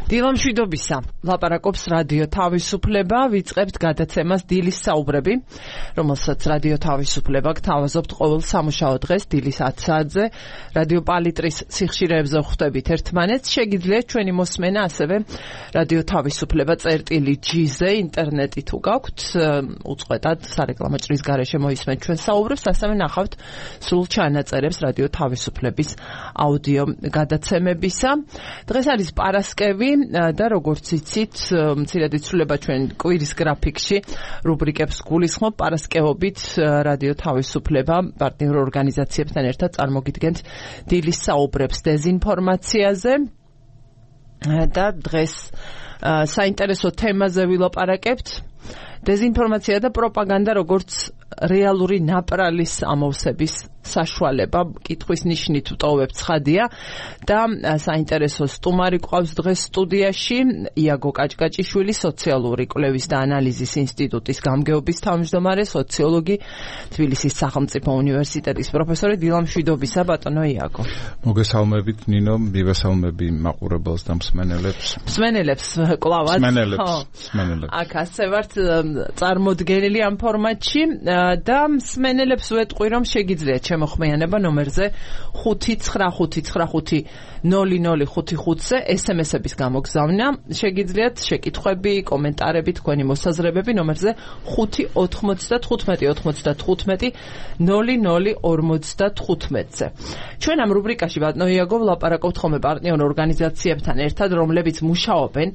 დილამშვიდობისა, ლაპარაკობს რადიო თავისუფლება, ვიწყებთ გადაცემას დილის საუბრები, რომელსაც რადიო თავისუფლება გთავაზობთ ყოველ სამუშაო დღეს დილის 10 საათზე, რადიო პალიტრის სიხშირეებზე ხვდებით ერთმანეთს, შეგიძლიათ ჩვენი მოსმენა ასევე რადიო თავისუფლება წერტილი.gz-ზე, ინტერნეტი თუ გაქვთ, უწყვეტად სარეკლამო ჭრის გარეშე მოისმენთ ჩვენ საუბრებს, ასევე ნახავთ სრულ ჩანაწერებს რადიო თავისუფლების აუდიო გადაცემებისა. დღეს არის პარასკევი და როგორც იცით, მცირედ იცვლება ჩვენ კვირის გრაფიკში რუბრიკებს გულისხმობ პარასკევობით რადიო თავისუფლება პარტნიორ ორგანიზაციებთან ერთად წარმოგიდგენთ დილის საუბრებს დეზინფორმაციაზე და დღეს საინტერესო თემაზე ვილაპარაკებთ. დეზინფორმაცია და პროპაგანდა როგორც რეალური ნაპრალის ამოვსების საშუალება, კითხვის ნიშნით ვტოვებ ცხადია და საინტერესო სტუმარი ყავს დღეს სტუდიაში იაგო კაჭკაჭიშვილი, სოციალური კვლევის და ანალიზის ინსტიტუტის გამგეობის თავმჯდომარე, სოციოლოგი, თბილისის სახელმწიფო უნივერსიტეტის პროფესორი. დილამშვიდობისა, ბატონო იაგო. მოგესალმებით ნინო, მივესალმები მაყურებელს და მსმენელებს. მსმენელებს კლავად. მსმენელებს. აქ ასე ვართ წარმოდგენილი ამ ფორმატში და მსმენელებს ვეტყვი, რომ შეგიძლიათ შემოხმიანება ნომერზე 599500555-ზე SMS-ების გამოგზავნა. შეგიძლიათ შეკითხვები, კომენტარები, თქვენი მოსაზრებები ნომერზე 595-95-00-00-55-ზე. ჩვენ ამ რუბრიკაში ბატონო იაგო ვლაპარაკობთ ხოლმე პარტნიორ ორგანიზაციებთან ერთად, რომლებიც მუშაობენ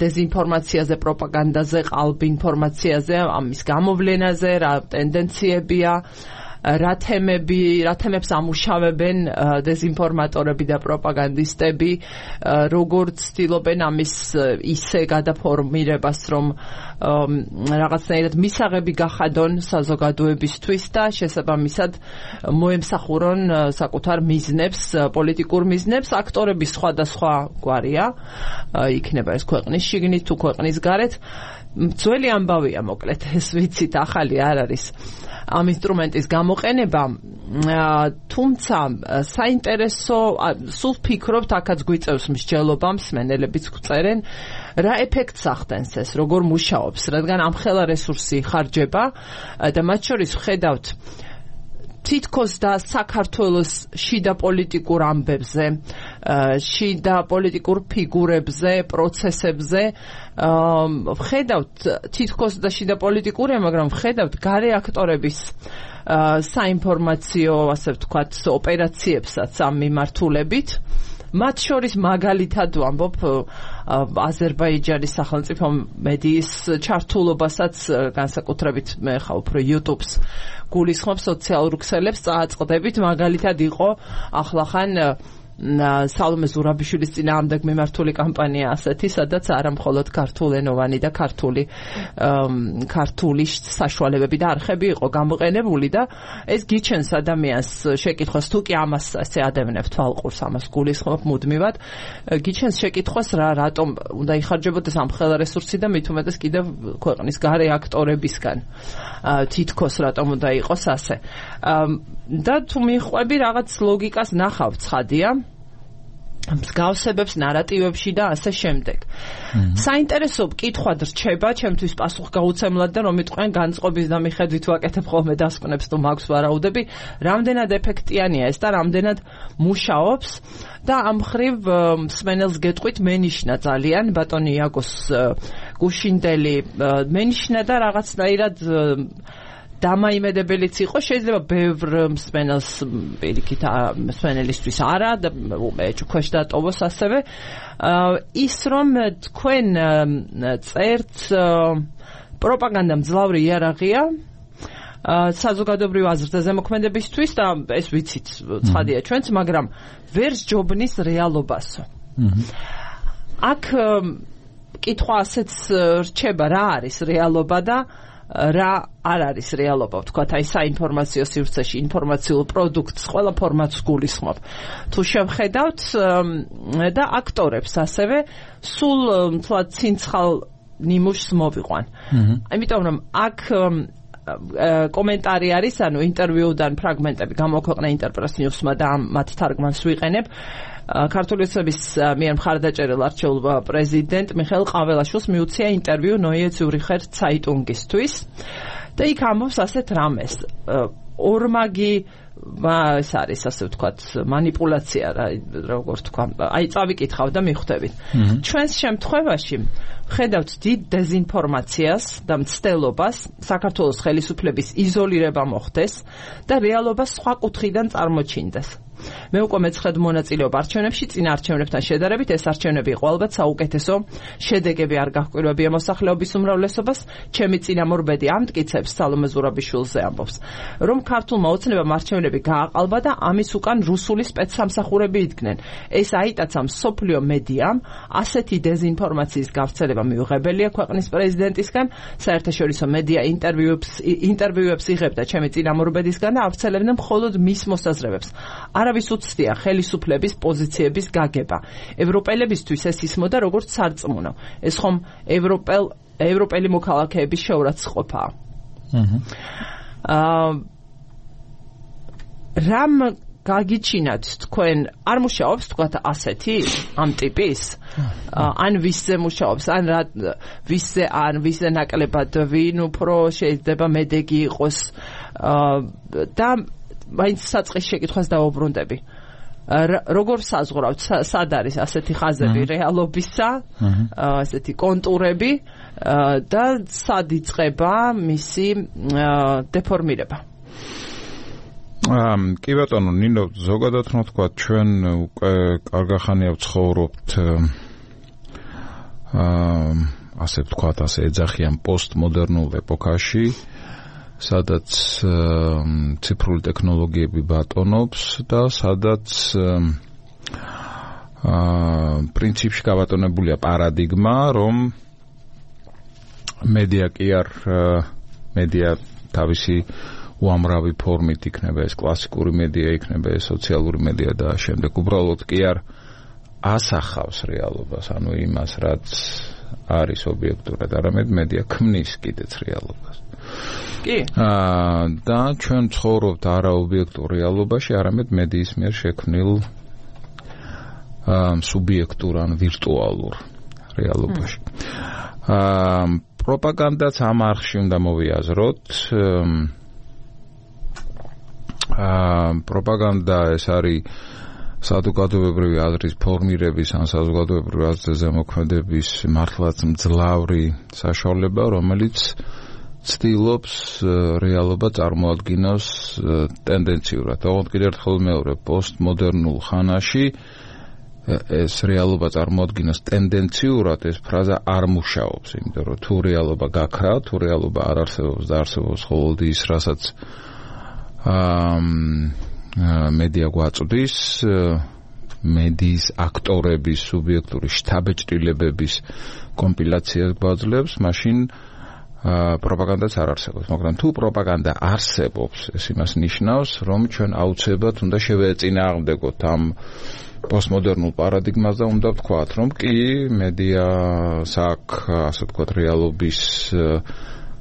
დეზინფორმაციაზე, პროპაგანდაზე, ყალბ ინფორმაციაზე, ამის გამოვლენაზე, რა ტენდენციებია, რა თემებს ამუშავებენ დეზინფორმატორები და პროპაგანდისტები, როგორც ცდილობენ ამის ისე გადაფორმირებას, რომ რაღაცნაირად მისაღები გახადონ საზოგადოებისთვის და შესაბამისად მოემსახურონ საკუთარ მიზნებს, პოლიტიკურ მიზნებს. აქტორები სხვადასხვა გვარია, იქნება ეს ქვეყნის შიგნით თუ ქვეყნის გარეთ. ძველი ამბავია, მოკლედ, ეს ვიცით, ახალი არ არის ამ ინსტრუმენტის გამოყენება, თუმცა საინტერესო, სულ ფიქრობთ, აქაც გვიწევს მსჯელობა, მსმენელებიც გვწერენ, რა ეფექტს ახდენს ეს, როგორ მუშაობს, რადგან ამხელა რესურსი ხარჯება და მათ შორის ვხედავთ თითქოს და საქართველოს შიდა პოლიტიკურ ამბებზე, შიდა პოლიტიკურ ფიგურებზე, პროცესებზე, ვხედავთ თითქოს და შიდა პოლიტიკურია, მაგრამ ვხედავთ გარე აქტორების საინფორმაციო, ასე ვთქვათ, ოპერაციებსაც ამ მიმართულებით. მათ შორის მაგალითად ვამბობ აზერბაიჯანის სახელმწიფო მედიის ჩართულობასაც, განსაკუთრებით მე ხა უფრო YouTube-ს გულისხმობ, სოციალურ ქსელებს წააწყდებით. მაგალითად იყო ახლახან სალომე ზურაბიშვილის წინააღმდეგ მიმართული კამპანია ასეთი, სადაც არა მხოლოდ ქართულენოვანი და ქართული საშუალებები და არხები იყო გამოყენებული და ეს გიჩენს ადამიანს შეკითხვას, თუ კი ამას ასე ადევნებთ თვალყურს, ამას გულისხმობ მუდმივად, გიჩენს შეკითხვას რატომ უნდა იხარჯებოდეს ამხელა რესურსი და მით უმეტეს კიდევ ქვეყნის გარე აქტორებისგან, თითქოს რატომ უნდა იყოს ასე. და თუ მიხვები რაღაც ლოგიკას ნახავ, ცხადია, მსგავსებებს ნარატივებში და ასე შემდეგ. საინტერესო კითხვად რჩება, ჩემთვის პასუხგაუცემლად და რომ იტყვიან განწყობის და მიხედვით ვაკეთებ ხოლმე დასკვნებს, თუ მაქვს ვარაუდები, რამდენად ეფექტიანია ეს და რამდენად მუშაობს და ამ მხრივ მსმენელს გეტყვით, მენიშნა ძალიან ბატონი იაგოს გუშინდელი მენიშნა და რაღაცნაირად დამაიმედებელიც იყო, შეიძლება ბევრ მსმენელს პირიქით მსმენელისთვის არა და ეჭქვეშ დატოვოს ასევე ის, რომ თქვენ წერთ პროპაგანდა მძლავრი იარაღია საზოგადოებრივ აზრთა ზემოქმედებისთვის და ეს ვიცით, ცხადია ჩვენც, მაგრამ ვერ სჯობნის რეალობასო. აქ კითხვა ასეც რჩება, რა არის რეალობა და რა არ არის რეალობა, ვთქვათ, აი საინფორმაციო სივრცეში ინფორმაციულ პროდუქტს ყველა ფორმატს გულისხმობ. თუ შევხედავთ და აქტორებს ასევე სულ თლად ცინცხალ ნიმუშს მოვიყვან. Იმიტომ რომ აქ კომენტარი არის, ანუ ინტერვიუდან ფრაგმენტები გამოქვეყნა ინტერპრეს ნიუსმა და მათ თარგმანს ვიყენებ. ქართული ოცნების მიერ მხარდაჭერილ არჩეულ პრეზიდენტ მიხეილ ყაველაშვილს მიუცია ინტერვიუ ნოიე ციურიხერ ცაიტუნგისთვის და იქ ამბობს ასეთ რამეს. ორმაგი ეს არის ასე ვთქვათ манипуляცია როგორ თქვა აი წავიკითხავ და მიხვდებით ჩვენს შემთხვევაში ხედავთ დიდ დეზინფორმაციას და მცდელობას საქართველოს ხელისუფლების იზოლირება მოხდეს და რეალობა სხვა კუთხიდან წარმოჩინდეს მე უკვე მეცხრედ მონაწილეობ არჩევნებში წინა არჩევნებთან შედარებით ეს არჩევნები იყო ალბათ საუკეთესო შედეგები არ გაჰკვირვებია მოსახლეობის უმრავლესობას ჩემი წინამორბედი ამტკიცებს სალომე ზურაბიშვილზე ამბობს რომ ქართულმა ოცნებამ არჩევნები გააყალბა და ამის უკან რუსული სპეცსამსახურები იდგნენ ეს აიტაცა მსოფლიო მედიამ ასეთი დეზინფორმაციის გავრცელება მიუღებელია ქვეყნის პრეზიდენტისგან საერთაშორისო მედია ინტერვიუებს იღებდა ჩემი წინამორბედისგან და ავრცელებდნენ მხოლოდ მის მოსაზრებებს არავის უცდია ხელისუფლების პოზიციების გაგება. ევროპელებისთვის ეს ისმოდა როგორც სარწმუნო. ეს ხომ ევროპელი მოქალაქეების შეურაცხყოფაა. რამ გაგიჩინათ თქვენ არ მუშაობს თქვათ ასეთი ამ ტიპის ან ვისზე მუშაობს ან ვისზე ნაკლებად ვინ უფრო შეიძლება მედეგი იყოს და მაინც საწყის შეკითხვას დავუბრუნდები. როგორ საზღვრავთ სად არის ასეთი ხაზები რეალობისა, ასეთი კონტურები და სად იწყება მისი დეფორმირება? კი ბატონო ნინო ზოგადად რომ თქვა ჩვენ უკვე კარგახანია ვცხოვრობთ ასე ვთქვათ ასე ეძახიან პოსტმოდერნულ ეპოქაში სადაც ციფრული ტექნოლოგიები ბატონობს და სადაც პრინციპში გაბატონებულია პარადიგმა, რომ მედია კი არ მედია თავისი უამრავი ფორმით იქნება ეს კლასიკური მედია, იქნება ეს სოციალური მედია და შემდეგ უბრალოდ კი არ ასახავს რეალობას, ანუ იმას, რაც არის ობიექტურად, არამედ მედია ქმნის კიდეც რეალობას. კი. და ჩვენ ცხოვრობთ არაობიექტურ რეალობაში, არამედ მედიის მიერ შექმნილ სუბიექტურ ან ვირტუალურ რეალობაში. პროპაგანდაც ამ არხში უნდა მოვიაზროთ. პროპაგანდა ეს არის საზოგადოებრივი აზრის ფორმირების ან საზოგადოებრივი აზრის ზემოქმედების მართლაც მძლავრი საშუალება, რომელიც ცდილობს რეალობა წარმოადგინოს ტენდენციურად. ოღონდ კიდევ ერთხელ მეორე პოსტმოდერნულ ხანაში ეს რეალობა წარმოადგინოს ტენდენციურად ეს ფრაზა არ მუშაობს, იმიტომ რომ თუ რეალობა გაქრა, თუ რეალობა არ არსებობს და არსებობს მხოლოდ ის, რასაც მედია გვაწვდის, მედიის აქტორების სუბიექტური შთაბეჭდილებების კომპილაციას გვაძლევს, მაშინ პროპაგანდაც არ არსებობს, მაგრამ თუ პროპაგანდა არსებობს, ეს იმას ნიშნავს, რომ ჩვენ აუცილებლად უნდა შევეწინააღმდეგოთ ამ პოსტმოდერნულ პარადიგმას და უნდა ვთქვათ, რომ კი მედიას აქვს, ასე ვთქვათ, რეალობის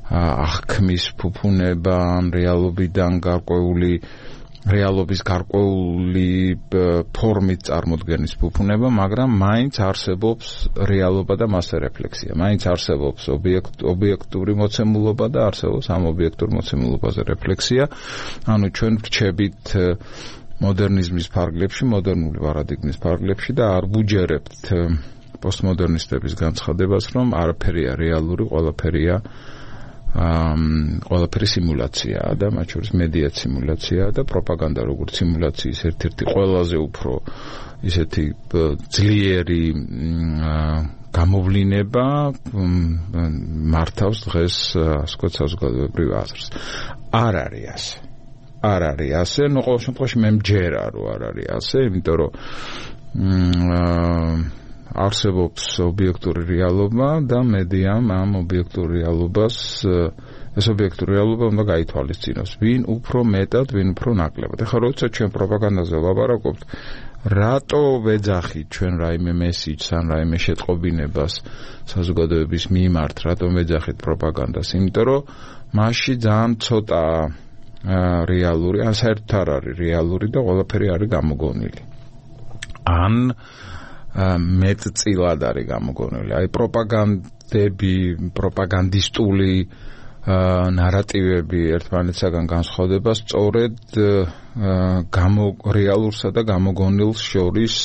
აღქმის ფუფუნება, რეალობიდან გარკვეული რეალობის გარკვეული ფორმით წარმოდგენის ფუფუნება, მაგრამ მაინც არსებობს რეალობა და მასზე რეფლექსია. მაინც არსებობს ობიექტური მოცემულობა და არსებობს ამ ობიექტურ მოცემულობაზე რეფლექსია. ანუ ჩვენ ვრჩებით მოდერნიზმის ფარგლებში, მოდერნული პარადიგმის ფარგლებში და არ ვუჯერებთ პოსტმოდერნისტების განცხადებას, რომ არაფერია რეალური, ყველაფერი სიმულაციაა და მათ შორის მედია სიმულაციაა და პროპაგანდა როგორც სიმულაციის ერთ-ერთი ყველაზე უფრო ისეთი ძლიერი გამოვლინება მართავს დღეს ასკოთ საზოგადოებრივ აზრს. არ არის ასე, ნუ ყოველ შემთხვევაში მე მჯერა რომ არ არის ასე, იმიტომ რომ არსებობს ობიექტური რეალობა და მედიამ ამ ობიექტურ რეალობას ეს ობიექტური რეალობა უნდა გაითვალისწინოს, ვინ უფრო მეტად, ვინ უფრო ნაკლებად. ეხლა როცა ჩვენ პროპაგანდაზე ვლაპარაკობთ, რატო ვეძახით ჩვენ რაიმე მესიჯს ან რაიმე შეტყობინებას საზოგადოების მიმართ, რატომ ვეძახით პროპაგანდას? იმიტომ რომ მასში ძალიან ცოტა რეალური, ან საერთოდ არ არის რეალური და ყველაფერი არის გამოგონილი. ან მეტწილად არის გამოგონილი. აი პროპაგანდისტული ნარატივები ერთმანეთსაგან განსხვავდება სწორედ რეალურსა და გამოგონილს შორის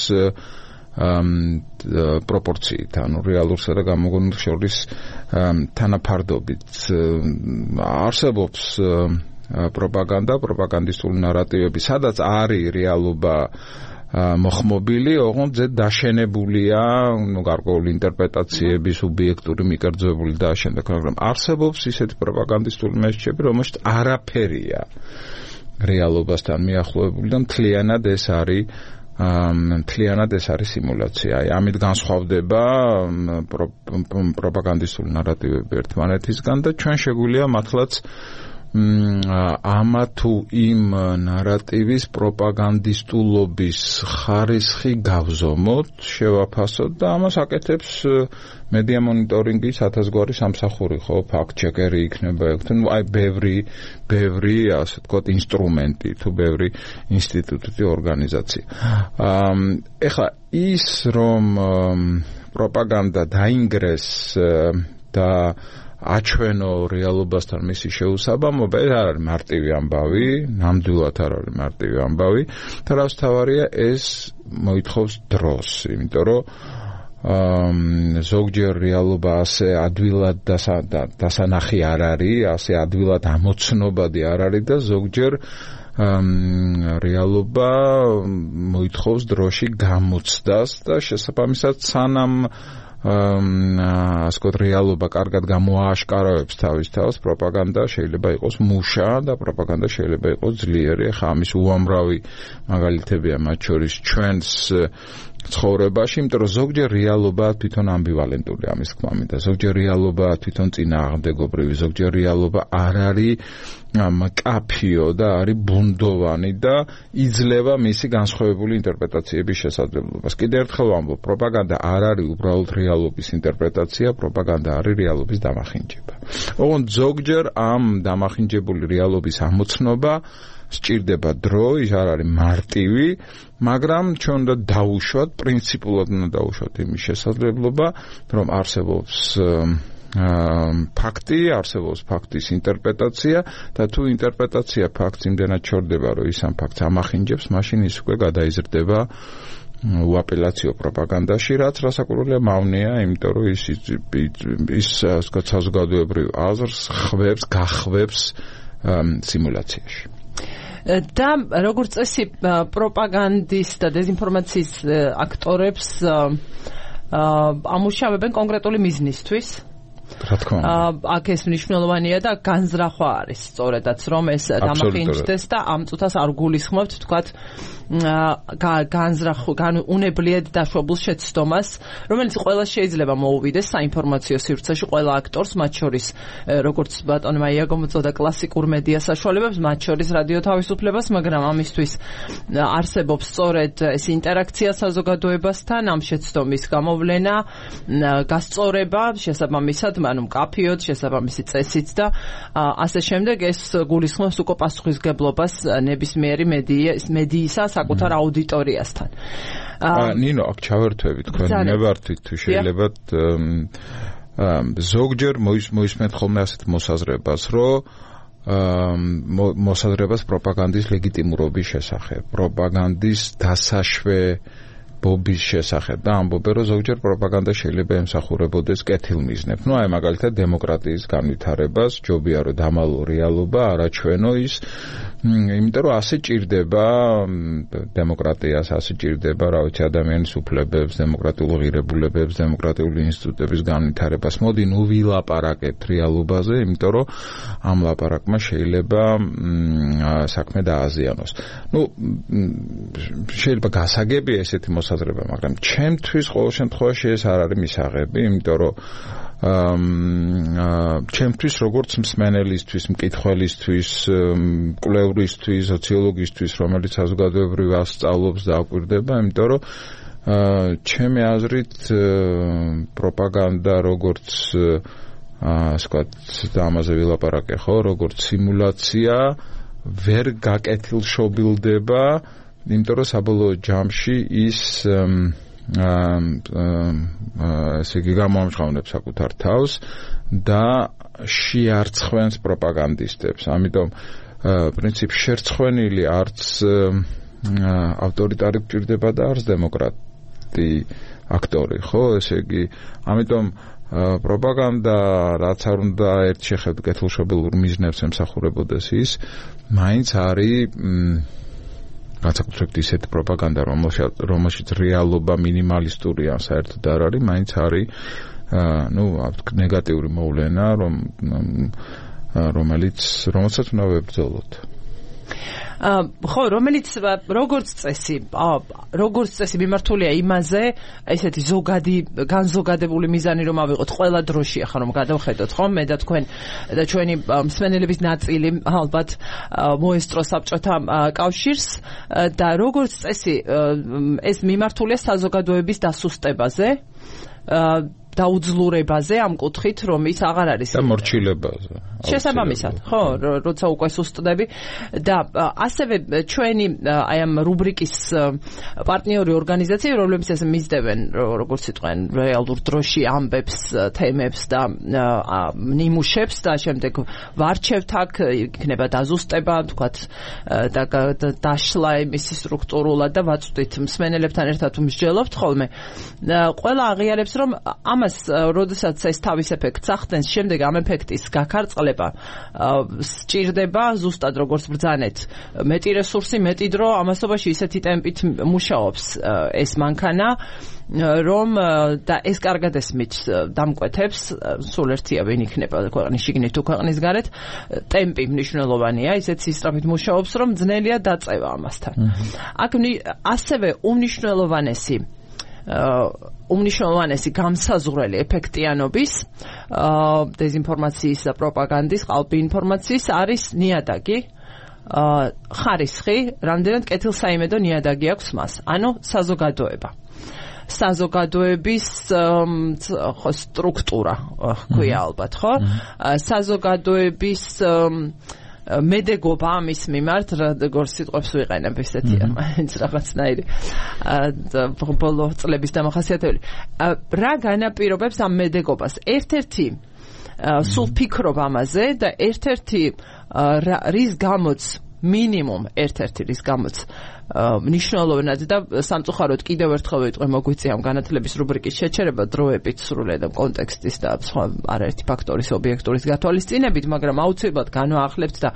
პროპორციით, ანუ რეალურსა და გამოგონილს შორის თანაფარდობით. არსებობს პროპაგანდისტული ნარატივები, სადაც არის რეალობა მოხმობილი, ოღონდ ზედ დაშენებულია, გარკვეული ინტერპრეტაციები, სუბიექტური მიკერძოებული და შემდეგ, მაგრამ არსებობს ისეთი პროპაგანდისტული მესიჯები, რომელშიც არაფერია რეალობასთან მიახლოებული და მთლიანად ეს არის სიმულაცია. აი, ამით განსხვავდება პროპაგანდისტული ნარატივები ერთმანეთისგან და ჩვენ შეგვიძლია მართლაც ამა თუ იმ ნარატივის პროპაგანდისტულობის ხარისხი გავზომოთ, შევაფასოთ და ამას აკეთებს მედია მონიტორინგის 1000 სამსახური, ხო, ფაქტ-ჩეკერი იქნება, აი ბევრი, ასე ვთქვათ, ინსტრუმენტი, თუ ბევრი ინსტიტუტი, ორგანიზაცია. ეხლა ის რომ პროპაგანდა დაინგრეს და აჩვენო რეალობასთან მისი შეუსაბამობა, ეს არ არის მარტივი ამბავი, ნამდვილად არ არის მარტივი ამბავი, და რაც თავარია, ეს მოითხოვს დროს, იმიტომ რომ ზოგჯერ რეალობა ასე ადვილად დასანახი არ არის, ასე ადვილად ამოცნობადი არ არის და ზოგჯერ რეალობა მოითხოვს დროში გამოცდას და შესაბამისად სანამ ასკოთ რეალობა კარგად გამოააშკარავებს თავის თავს, პროპაგანდა შეიძლება იყოს მუშა და პროპაგანდა შეიძლება იყოს ძლიერი. ხა ამის უამრავი მაგალითებია, მათ შორის ჩვენს ცხოვრებაში, იმიტომ რომ ზოგჯერ რეალობა თვითონ ამბივალენტური ამის თქმა მინდა, ზოგჯერ რეალობა თვითონ წინააღმდეგობრივი, ზოგჯერ რეალობა არ არის მკაფიო და არის ბუნდოვანი და იძლევა მისი განსხვავებული ინტერპრეტაციების შესაძლებლობას. კიდევ ერთხელ ვამბობ, პროპაგანდა არ არის უბრალოდ რეალობის ინტერპრეტაცია, პროპაგანდა არის რეალობის დამახინჯება. ოღონდ ზოგჯერ ამ დამახინჯებული რეალობის ამოცნობა სჭირდება დრო, ის არ არის მარტივი, მაგრამ ჩვენ უნდა დავუშვათ, პრინციპულად უნდა დავუშვათ იმის შესაძლებლობა, რომ არსებობს ფაქტი, არსებობს ფაქტის ინტერპრეტაცია და თუ ინტერპრეტაცია ფაქტს იმდენად ჩორდება, რომ ის ამ ფაქტს ამახინჯებს, მაშინ ის უკვე გადაიზრდება უაპელაციო პროპაგანდაში, რაც რასაკვირველია მავნეა, იმიტომ რომ ის საზოგადოებრივ აზრს გახвебს სიმულაციაში. და როგორც წესი პროპაგანდის და დეзинფორმაციის აქტორებს ამუშავებენ კონკრეტული მიზნისთვის. რა თქმა უნდა. აქ ეს მნიშვნელოვანია და განზრახვა არის სწორედაც, რომ ეს დამახინჯდეს და ამ წუთას არ გულისხმობთ, თქვათ, უნებლიეთ დაშვებულ შეცდომას, რომელიც ყველა შეიძლება მოუვიდეს საინფორმაციო სივრცეში, ყველა აქტორს, მათ შორის, როგორც ბატონმა იაგომოწოდა კლასიკურ მედია საშუალებებს, მათ შორის რადიო თავისუფლებას, მაგრამ ამისთვის არსებობს სწორედ ეს ინტერაქცია საზოგადოებასთან, ამ შეცდომის გამოვლენა, გასწორება, შესაბამისად, ანუ მკაფიოდ, შესაბამისი წესით და ასე შემდეგ, ეს გულისხმობს უკვე პასუხისგებლობას ნებისმიერი მედიისა საკუთარ აუდიტორიასთან. ნინო, აქ ჩავერთვები თქვენ ნებართვით, თუ შეიძლებათ ზოგჯერ მოისმენთ ხოლმე ასეთ მოსაზრებას, რომ მოსაზრებას პროპაგანდის ლეგიტიმურობის შესახებ, პროპაგანდის დასაშვებობის შესახებ და ამბობენ, რომ ზოგჯერ პროპაგანდა შეიძლება ემსახურებოდეს კეთილმიზნებს. აი მაგალითად დემოკრატიის განვითარებას, ჯობია რომ დამალო რეალობა, არაჩვენო ის, იმიტომ რომ ასე ჭირდება დემოკრატიას, ასე ჭირდება, რა ვიცი, ადამიანის უფლებებს, დემოკრატიულ ღირებულებებს, დემოკრატიული ინსტიტუტების განვითარებას. მოდი, ნუ ვილაპარაკეთ რეალობაზე, იმიტომ რომ ამ ლაპარაკმა შეიძლება საქმე დააზიანოს. შეიძლება გასაგებია ესეთი მოსაზრება, მაგრამ ჩემთვის ყოველ შემთხვევაში ეს არ არის მისაღები, იმიტომ რომ ჩემთვის როგორც მსმენელისთვის, მკითხველისთვის, კვლევრისთვის, სოციოლოგისთვის, რომელიც საზოგადოებრივ ასწავლობს და აკვირდება, იმიტომ რომ ჩემი აზრით პროპაგანდა როგორც ასე ვთქვათ, ამაზე ვილაპარაკე ხო, როგორც სიმულაცია ვერ გაკეთილშობილდება, იმიტომ რომ საბოლოო ჯამში ის ესე იგი გამოამჟღავნებს საკუთარ თავს და შეარცხვენს პროპაგანდისტებს. ამიტომ პრინციპ შერცხვენილი არც ავტორიტარი გჭირდება და არც დემოკრატი აქტორი, ხო? ესე იგი, ამიტომ პროპაგანდა რაც არ უნდა ერთ შეხედვით კეთილშობილურ მიზნებს ემსახურებოდეს ის, მაინც არის განსაკუთრებით ისეთ პროპაგანდა, რომელშიც რეალობა მინიმალისტურია, საერთოდ არ არის, მაინც არის ნეგატიური მოვლენა, რომელსაც უნდა ვებრძოლოთ. ხო, რომელიც როგორც წესი მიმართულია იმაზე, ესეთი განზოგადებული მიზანი რომ ავიღოთ ყველა დროში, ახლა რომ გადავხედოთ, ხო, მე და თქვენ და ჩვენი მსმენელების ნაწილი ალბათ მოესწრო საბჭოთა კავშირს და როგორც წესი ეს მიმართულია საზოგადოების დასუსტებაზე, დაუძლურებაზე ამ კუთხით, რომ ის აღარ არის და მორჩილებაზე. შესაბამისად, ხო, როცა უკვე სუსტდები და ასევე ჩვენი აი ამ რუბრიკის პარტნიორი ორგანიზაციები, რომლებიც მისდევენ, როგორც იტყვენ, რეალურ დროში ამბებს, თემებს და ნიმუშებს და შემდეგ ვარჩევთ აქ, იქნება დაზუსტება, თქვათ, და დაშლა იმისი სტრუქტურულად და ვაწვდით მსმენელებთან ერთად მსჯელობთ ხოლმე. ყველა აღიარებს, რომ ამას, როდესაც ეს თავის ეფექტს ახდენს, შემდეგ ამ ეფექტის გაქარწყლება სჭირდება ზუსტად როგორც ბრძანეთ, მეტი რესურსი, მეტი დრო, ამასობაში ისეთი ტემპით მუშაობს ეს მანქანა, რომ და ეს კარგად ესმით დამკვეთებს, სულ ერთია ვინ იქნება ქვეყნის შიგნით თუ ქვეყნის გარეთ, ტემპი მნიშვნელოვანია, ისეთ სისწრაფით მუშაობს, რომ ძნელია დაწევა ამასთან. აქ ასევე უმნიშვნელოვანესი გამსაზღვრელი ეფექტიანობის, დეზინფორმაციის და პროპაგანდის, ყალბი ინფორმაციის არის ნიადაგი, ხარისხი, რამდენად კეთილსაიმედო ნიადაგი აქვს მას, ანუ საზოგადოება. საზოგადოების სტრუქტურა, ქვია ალბათ, ხო? საზოგადოების მედეგობა ამის მიმართ, როგორც სიტყვებს ვიყენებ ესეთია, მაინც რაღაცნაირი ბოლო წლების დამახასიათებელი. რა განაპირობებს ამ მედეგობას? ერთ-ერთი სულ ფიქრობ ამაზე და ერთ-ერთი რის გამოც მინიმუმ ერთ-ერთი რის გამოც მნიშვნელოვნად და სამწუხაროდ კიდევ ერთხელ ვიტყვი, მოგვიწია ამ განათლების რუბრიკის შეჩერება დროებით, სრულიად კონტექსტის და სხვა არაერთი ფაქტორის ობიექტურის გათვალისწინებით, მაგრამ აუცილებლად განვაახლებთ და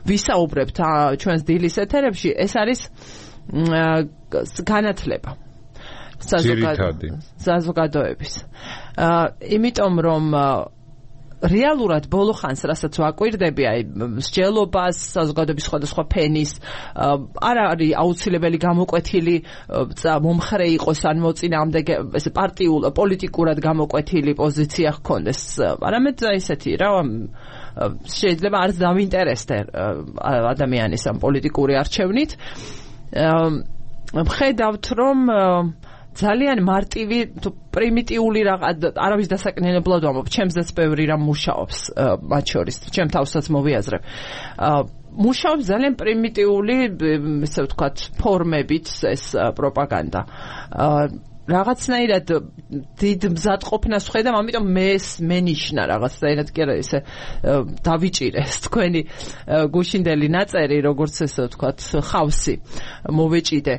ვისაუბრებთ ჩვენს დილის ეთერებში, ეს არის განათლება საზოგადოების. იმიტომ რომ რეალურად ბოლო ხანს, რასაც ვაკვირდები, აი მსჯელობას, საზოგადოების სხვადასხვა ფენის, არ არის აუცილებელი გამოკვეთილი მომხრე იყოს ან მოწინააღმდეგე, ესე პოლიტიკურად გამოკვეთილი პოზიცია ჰქონდეს. არამედ ესეთი რა, შეიძლება არც დავინტერესდე ადამიანის ამ პოლიტიკური არჩევნით. ვხედავთ, რომ ძალიან მარტივი თუ პრიმიტიული არავის დასაკნინებლად ვამბობ, ჩემზეც ბევრი რამ მუშაობს მათ შორის, ჩემ თავსაც მოვიაზრებ. მუშაობს ძალიან პრიმიტიული, ესე ვთქვათ, ფორმებით ეს პროპაგანდა. რაღაცნაირად დიდ მზადყოფნას ვხედავ, ამიტომ მენიშნა რაღაცნაირად კი არა ესე დავიჭირეს თქვენი გუშინდელი ნაწერი, როგორც ესე ვთქვათ, ხავსი მოვეჭიდე.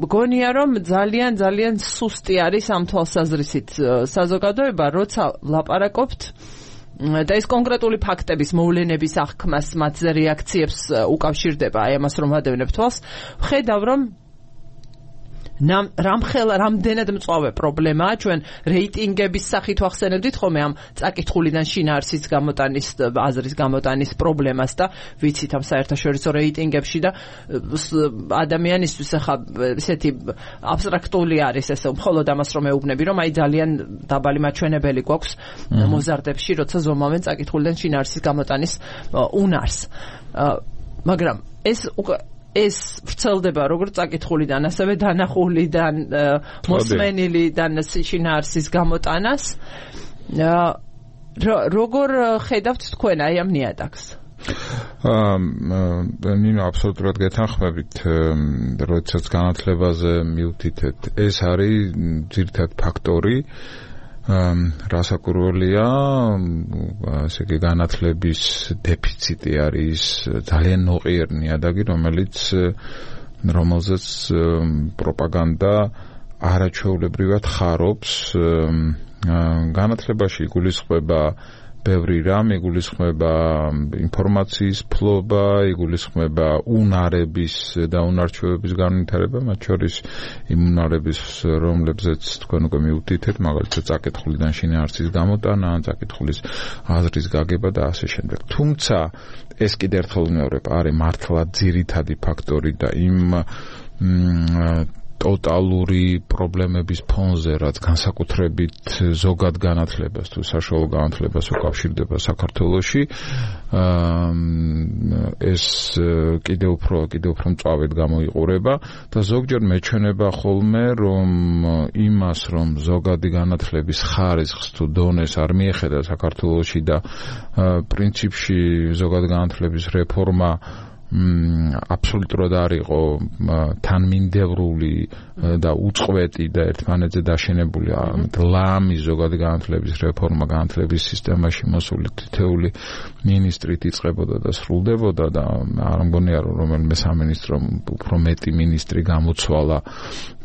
მგონია რომ ძალიან სუსტი არის ამ თვალსაზრისით საზოგადოება, როცა ლაპარაკობთ და ეს კონკრეტული ფაქტების მოვლენების აღქმას, მათზე რეაქციებს უკავშირდება, აი ამას რომ ვადევნებ თვალს, ვხედავ რომ რამდენად მწვავე პრობლემაა ჩვენ რეიტინგების სახით ვახსენებდით ხოლმე ამ წაკითხულიდან შინაარსის გამოტანის აზრის გამოტანის პრობლემას და ვიცით ამ საერთაშორისო რეიტინგებში და ადამიანისთვის ახლა ესეთი აბსტრაქტული არის ეს მხოლოდ ამას რომ ეუბნები რომ აი ძალიან დაბალი მაჩვენებელი გვაქვს მოზარდებში როცა ზომავენ წაკითხულიდან შინაარსის გამოტანის უნარს მაგრამ ეს ვრცელდება როგორც წაკითხულიდან, ასევე დანახულიდან, მოსმენილიდან შინაარსის გამოტანას. როგორ ხედავთ თქვენ აი ამ ნიადაგს? ნინო აბსოლუტურად გეთანხმებით, როდესაც განათლებაზე მივთითეთ, ეს არის ძირითადი ფაქტორი. რასაკურველია, ასე იგი განათლების დეფიციტი არის ძალიან ნოყიერ ნიადაგი, რომელზეც პროპაგანდა არაჩვეულებრივად ხარობს. განათლებაში იგულისხმება ბევრი რამ, იგულისხმება ინფორმაციის ფლობა, იგულისხმება უნარების და უნარჩვევების განვითარება, მათ შორის იმ უნარების, რომლებზეც თქვენ უკვე მივთითეთ, მაგალითად წაკითხულიდან შინაარსის გამოტანა, წაკითხulis აზრის გაგება და ასე შემდეგ. თუმცა ეს კიდევ ერთხელ ვიმეორებ, არის მართლა ძირითადი ფაქტორი და იმ ტოტალური პრობლემების ფონზე, რაც განსაკუთრებით ზოგად განათლებას თუ საშუალო განათლებას უკავშირდება საქართველოში, ეს კიდევ უფრო მწვავედ გამოიყურება და ზოგჯერ მეჩვენება ხოლმე, რომ იმას, რომ ზოგადი განათლების ხარისხს თუ დონეს არ მიეხედა საქართველოში და პრინციპში ზოგადი განათლების რეფორმა აბსოლუტურად არ იყო თანმიმდევრული და უწყვეტი და ერთმანეთზე დაშენებული ლამი ზოგადი განათლების რეფორმა განათლების სისტემაში მოსული თითეული მინისტრით იწყებოდა და სრულდებოდა და არ მგონია რომ რომელიმე სამინისტრომ უფრო მეტი მინისტრი გამოცვალა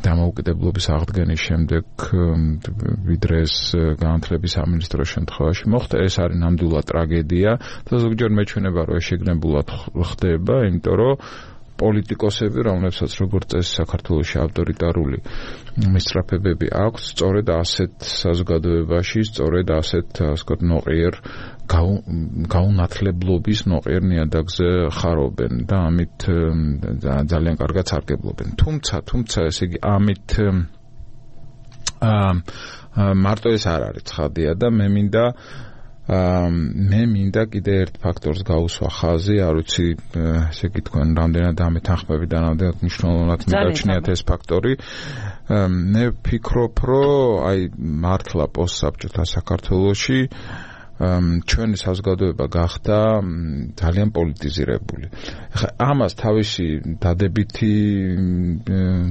დამოუკიდებლობის აღდგენის შემდეგ ვიდრე ეს განათლების სამინისტროს შემთხვევაში მოხდა. ეს არის ნამდვილად ტრაგედია და ზოგჯერ მეჩვენება რომ ეს შეგნებულად ხდება, იმიტომ რომ პოლიტიკოსები, რომლებსაც როგორც წესი საქართველოში ავტორიტარული მისწრაფებები აქვს, სწორედ ასეთ საზოგადოებაში, სწორედ ასეთ, ასე ვთქვათ, ნოყიერ გაუნათლებლობის ნოყიერ ნიადაგზე ხარობენ და ამით ძალიან კარგად სარგებლობენ. თუმცა ესე იგი ამით მარტო ეს არ არის ცხადია და მე მინდა კიდე ერთ ფაქტორს გაუსვა ხაზი, არ ვიცი, ესე იგი თქვენ რამდენად ამეთანხმებით და რამდენად მნიშვნელოვნად მიგაჩნიათ ეს ფაქტორი. მე ვფიქრობ, რომ აი მართლა პოსტსაბჭოთა საქართველოში ჩვენი საზოგადოება გახდა ძალიან პოლიტიზირებული. ახლა ამას თავისი დადებითი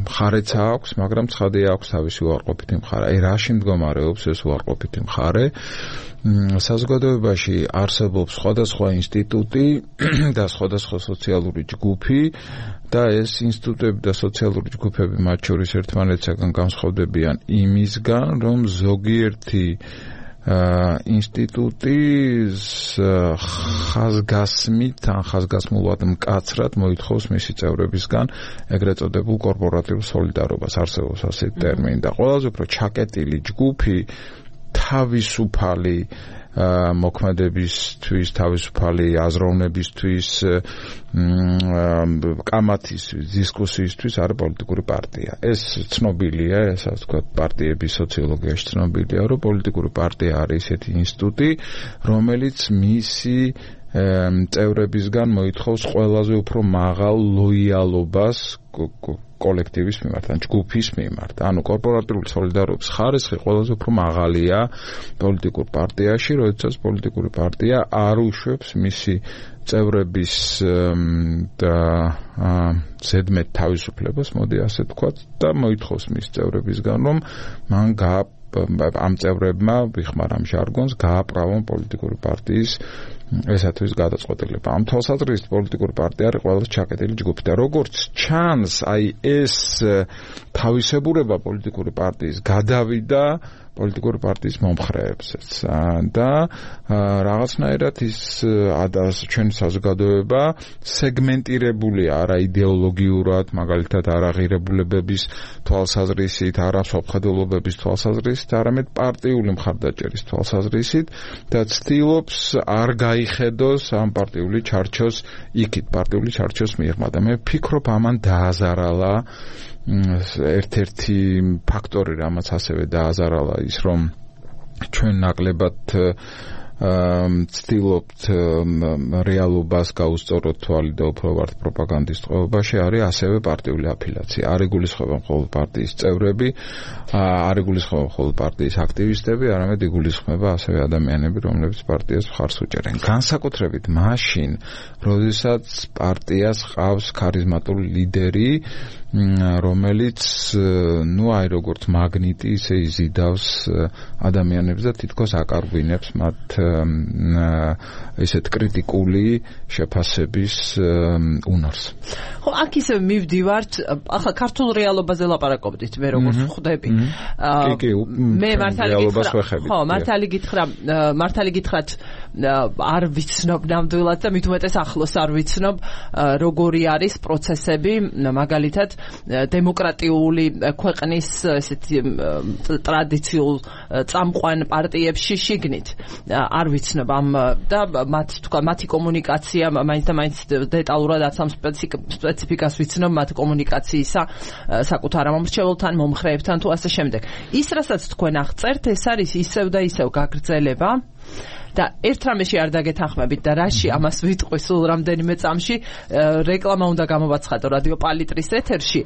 მხარეც აქვს, მაგრამ ცხადია აქვს თავისი უარყოფითი მხარე. აი რაში მდგომარეობს ეს უარყოფითი მხარე? საზოგადოებაში არსებობს სხვადასხვა ინსტიტუტი და სხვადასხვა სოციალური ჯგუფი და ეს ინსტიტუტები და სოციალური ჯგუფები მათ შორის ერთმანეთისაგან განსხვავდებიან იმისგან, რომ ზოგიერთი ინსტიტუტის ხაზგასმით ან ხაზგასმულად მკაცრად მოითხოვს მისი წევრებისგან ეგრეთ წოდებულ კორპორატიულ სოლიდარობას, არსებობს ასეთი ტერმინი და ყველაზე უფრო ჩაკეტილი ჯგუფი თავისუფალი მოქმედებისთვის, თავისუფალი აზროვნებისთვის, კამათისთვის, დისკუსიისთვის არის პოლიტიკური პარტია. ეს ცნობილია, ეს ასე ვთქვათ, პარტიების სოციოლოგიაში ცნობილია, რომ პოლიტიკური პარტია არის ისეთი ინსტიტუტი, რომელიც მისი წევრებისგან მოითხოვს ყველაზე უფრო მაღალ ლოიალობას კოლექტივის მიმართ, ან ჯგუფის მიმართ. ანუ კორპორატიული სოლიდარობის ხარისხი ყველაზე უფრო მაღალია პოლიტიკურ პარტიაში, როდესაც პოლიტიკური პარტია არ უშვებს მისი წევრების ზედმეტ თავისუფლებას, მოდი ასე ვთქვათ, და მოითხოვს მის წევრებისგან, რომ მან ამ წევრებმა, ვიხმარ ამ ჟარგონს, გააправონ პოლიტიკური პარტიის ესათვის გადაწყვეტილება. ამ თვალსაზრისით პოლიტიკური პარტია არის ყველაზე ჩაკეტილი ჯგუფი და როგორც ჩანს, აი ეს თავისებურება პოლიტიკური პარტიის გადავიდა პოლიტიკური პარტიის მომხრეებსაც და რაღაცნაირად ის ჩვენი საზოგადოება სეგმენტირებულია არა იდეოლოგიურად, მაგალითად არა ღირებულებების თვალსაზრისით, არა სოფხედელობების თვალსაზრისით, არამედ პარტიული მხარდაჭერის თვალსაზრისით და ცდილობს არ გაიხედოს ამ პარტიული ჩარჩოს იქით, პარტიული ჩარჩოს მიღმა და მე ვფიქრობ ამან დააზარალა ერთ-ერთი ფაქტორი, რამაც ასევე დააზარალა ის, რომ ჩვენ ნაკლებად ცდილობთ რეალობას გაუსწოროთ თვალი და უფრო ვართ პროპაგანდის წყობაში, არის ასევე პარტიული აფილაცია. არ იგულისხმება მხოლოდ პარტიის წევრები, არ იგულისხმება მხოლოდ პარტიის აქტივისტები, არამედ იგულისხმება ასევე ადამიანები, რომლებიც პარტიას მხარს უჭერენ. განსაკუთრებით მაშინ, როდესაც პარტიას ჰყავს ქარიზმატული ლიდერი, რომელიც აი როგორც მაგნიტი ისე იზიდავს ადამიანებს და თითქოს აკარგვინებს მათ ესეთ კრიტიკული შეფასების უნარს. ხო, აქ ისე მივდივართ, ახლა ქართულ რეალობაზე ლაპარაკობდით, მე როგორც ხვდები. მე მართალი გითხრათ, არ ვიცნობ ნამდვილად და მით უმეტეს ახლოს არ ვიცნობ, როგორი არის პროცესები, მაგალითად დემოკრატიული ქვეყნის ესეთი ტრადიციულ წამყვან პარტიებში შიგნით არ ვიცნობ ამ და მათი კომუნიკაცია მაინც და მაინც დეტალურად ამ სპეციფიკას ვიცნობ მათ კომუნიკაციისა საკუთარ მომრჩეველთან, მომხრეებთან თუ ასე შემდეგ. ის რასაც თქვენ აღწერთ, ეს არის ისევ და ისევ გაგრძელება და ერთ რამეში არ დაგეთანხმებით და რაში ამას ვიტყვი სულ რამდენიმე წამში რეკლამა უნდა გამოვაცხადო რადიო პალიტრის ეთერში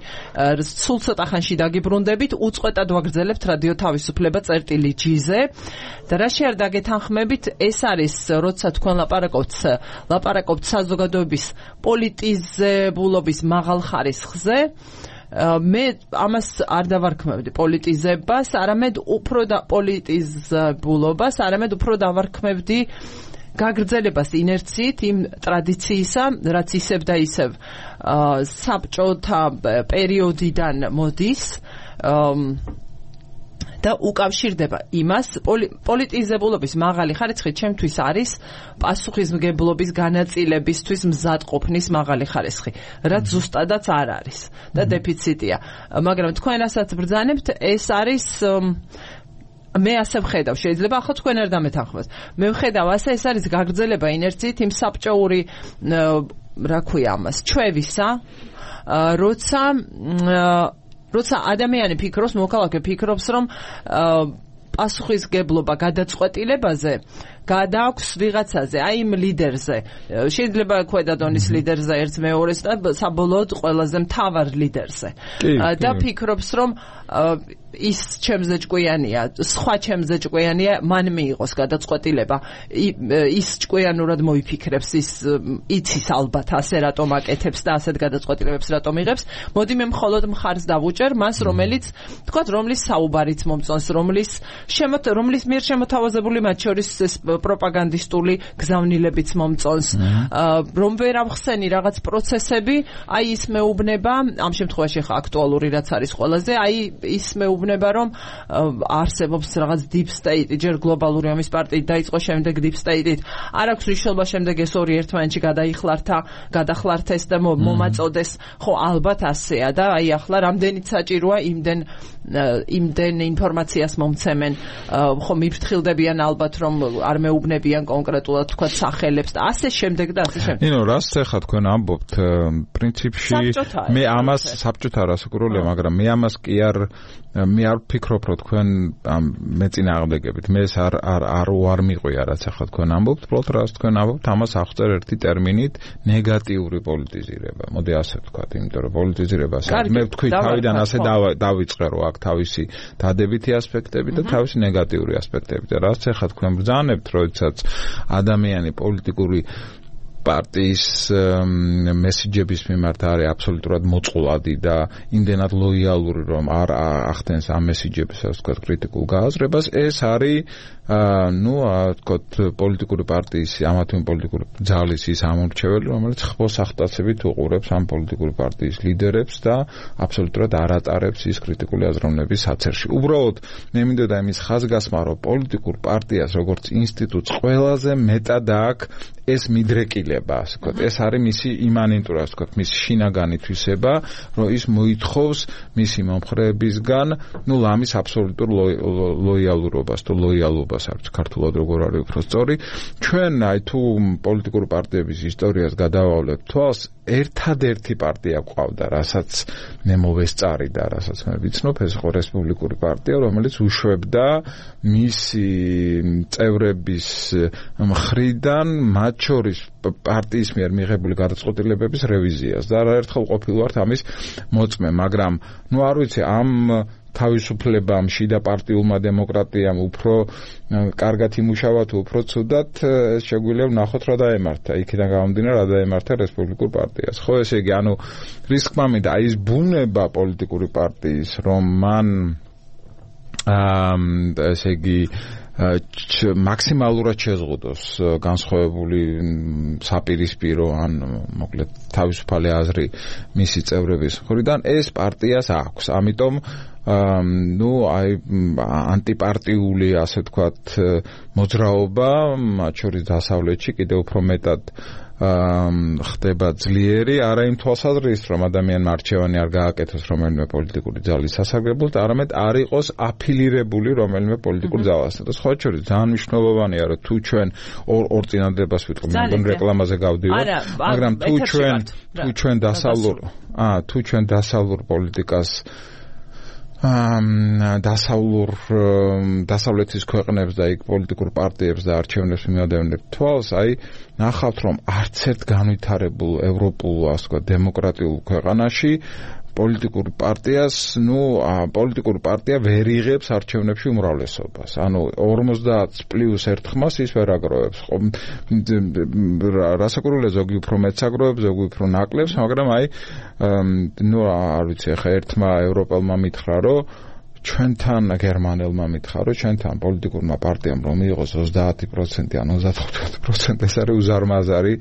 სულ ცოტა ხანში დაგიბრუნდებით უწყვეტად ვაგრძელებთ რადიო თავისუფლება წერტილი-G-ზე და რაში არ დაგეთანხმებით ეს არის როცა თქვენ ლაპარაკობთ საზოგადოების პოლიტიზებულობის მაღალ ხარისხზე მე ამას არ დავარქმევდი პოლიტიზებას, არამედ უფრო და პოლიტიზებულობას, არამედ უფრო დავარქმევდი გაგრძელებას ინერციით იმ ტრადიციისა, რაც ისევ და ისევ საბჭოთა პერიოდიდან მოდის და უკავშირდება იმას პოლიტიზებულობის მაღალი ხარისხი ჩემთვის არის პასუხისმგებლობის განაწილებისთვის მზადყოფნის მაღალი ხარისხი, რაც ზუსტადაც არ არის და დეფიციტია. მაგრამ თქვენ რასაც ბრძანებთ, ეს არის მე ასე ვხედავ, შეიძლება ახლა თქვენ არ დამეთანხმოთ. მე ვხედავ ასე, ეს არის გაგრძელება ინერციით იმ საბჭოური რა ქვია ამას, ჩვევისა, როცა ადამიანი ფიქრობს, მოქალაქე ფიქრობს, რომ პასუხისგებლობა გადაწყვეტილებაზე გადააქვს ვიღაცაზე, აი იმ ლიდერზე. შეიძლება ქვედა დონის ლიდერზე ერთ მეორეს და საბოლოოდ ყველაზე მთავარ ლიდერზე. და ფიქრობს, რომ ის ჩემზე ჭკვიანია, სხვა ჩემზე ჭკვიანია, მან მიიღოს გადაწყვეტილება. ის ჭკვიანურად მოიფიქრებს, ის იცის ალბათ ასე რატომ აკეთებს და ასეთ გადაწყვეტილებებს რატომ იღებს. მოდი მე მხოლოდ მხარს დავუჭერ მას, რომელიც, თქვათ, რომლის საუბარიც მომწონს, რომლის მიერ შემოთავაზებული მათ შორის პროპაგანდისტული გზავნილებიც მომწონს, რომ ვერ ავხსენი რაღაც პროცესები, აი ის მეუბნება, ამ შემთხვევაში ხა აქტუალური რაც არის ყველაზე, აი ის მეუბნება, რომ არსებობს რაღაც deep state, ჯერ გლობალური ომის პარტიით დაიწყო, შემდეგ deep state-ით. არ აქვს მნიშვნელობა შემდეგ ეს ორი ერთმანეთში გადახლართეს და მომაწოდეს. ხო, ალბათ ასეა და აი ახლა რამდენიც საჭიროა იმდენ ინფორმაციას მომცემენ. ხო, მიფრთხილდებიან ალბათ, რომ არ მეუბნებიან კონკრეტულად თქვა სახელებს და ასე შემდეგ და ასე შემდეგ. ნინო, რას ახლა თქვენ ამბობთ, პრინციპში მე ამას საბჭოთა რასაკურველია, მაგრამ მე ამას კი არ ვფიქრობ, რომ თქვენ მეწინააღმდეგებით. მე ეს არ მიყვია, რაც ახლა თქვენ ამბობთ, უბრალოდ რას თქვენ ამბობთ, ამას აღწერ ერთი ტერმინით ნეგატიური პოლიტიზირება. მოდი ასე ვთქვათ, იმიტომ რომ პოლიტიზირებას მე ვთქვი თავიდან ასე დავიწყე, რომ აქ თავისი დადებითი ასპექტები და თავისი ნეგატიური ასპექტები და რაც ახლა თქვენ ბრძანებთ, როდესაც ადამიანი პოლიტიკური პარტიის მესიჯების მიმართ არის აბსოლუტურად მოწყვლადი და იმდენად ლოიალური, რომ არ ახდენს ამ მესიჯების, ასე ვთქვათ, კრიტიკულ გააზრებას, ეს არის ვთქვათ, პოლიტიკური პარტიის, ამა თუ იმ პოლიტიკური ძალის ის ამორჩეველი, რომელიც ხბოს ახტაცებით უყურებს ამ პოლიტიკური პარტიის ლიდერებს და აბსოლუტურად არ ატარებს ის კრიტიკული აზროვნების საცერში. უბრალოდ მე მინდოდა იმის ხაზგასმა, რომ პოლიტიკურ პარტიას როგორც ინსტიტუტს ყველაზე მეტად აქვს ეს მიდრეკილება, ასე ვთქვათ, ეს არის მისი იმანენტური, ასე ვთქვათ, მისი შინაგანი თვისება, რომ ის მოითხოვს მისი მომხრეებისგან, ლამის აბსოლუტურ ლოიალურობას თუ ლოიალობას, არც ქართულად როგორ არის უფრო სწორი. ჩვენ თუ პოლიტიკური პარტიების ისტორიას გადავავლებთ თვალს, ერთადერთი პარტია ყავდა, რასაც მე მოვესწარი და რასაც მე ვიცნობ, ეს იყო რესპუბლიკური პარტია, რომელიც უშვებდა მისი წევრების მხრიდან მათ შორის პარტიის მიერ მიღებული გადაწყვეტილებების რევიზიას და არაერთხელ ყოფილვართ ამის მოწმე, მაგრამ არ ვიცი, ამ თავისუფლებამ, შიდა პარტიულმა დემოკრატიამ უფრო კარგად იმუშავა თუ უფრო ცუდად, ეს შეგვიძლია ვნახოთ რა დაემართა. იქიდან გამომდინარე, რა დაემართა რესპუბლიკურ პარტიას. ხო, ესე იგი, რის თქმა მინდა, ის ბუნება პოლიტიკური პარტიის, რომ მან ესე იგი მაქსიმალურად შეზღუდოს განსხვავებული საპირისპირო ან მოკლედ თავისუფალი აზრი მისი წევრების მხრიდან, ეს პარტიას აქვს. ამიტომ ანტიპარტიული, ასე ვთქვათ, მოძრაობა, მათ შორის დასავლეთში კიდევ უფრო მეტად ხდება ძლიერი, არა იმ თვალსაზრისით, რომ ადამიანმა არჩევანი არ გააკეთოს რომელიმე პოლიტიკური ძალის სასარგებლოდ, არამედ არ იყოს აფილირებული რომელიმე პოლიტიკურ ძალასთან. და სხვა შორის ძალიან მნიშვნელოვანია, რომ თუ ჩვენ ორ წინადადებას ვიტყვი, მეგობრებო, რეკლამაზე გავდივარ, მაგრამ თუ ჩვენ დასავლურ პოლიტიკას დასავლეთის ქვეყნებს და იქ პოლიტიკურ პარტიებს და არჩევნებს მიმადევნებთ თვალს, ნახავთ, რომ არც ერთ განვითარებულ ევროპულ, ასე ვთქვათ, დემოკრატიულ ქვეყანაში პოლიტიკური პარტია ვერ იღებს არჩევნებში უმრავლესობას. 50 პლუს 1 ხმას ის ვერ აგროვებს. რასაკურველია, ზოგი უფრო მეტს აგროვებს, ზოგი უფრო ნაკლებს, მაგრამ არ ვიცი, ახლა ერთმა ევროპელმა მითხრა, რომ ჩვენთან გერმანელმა მითხრა, რომ ჩვენთან პოლიტიკურმა პარტიამ რომ მიიღოს 30% ან 35%, ეს არის უზარმაზარი,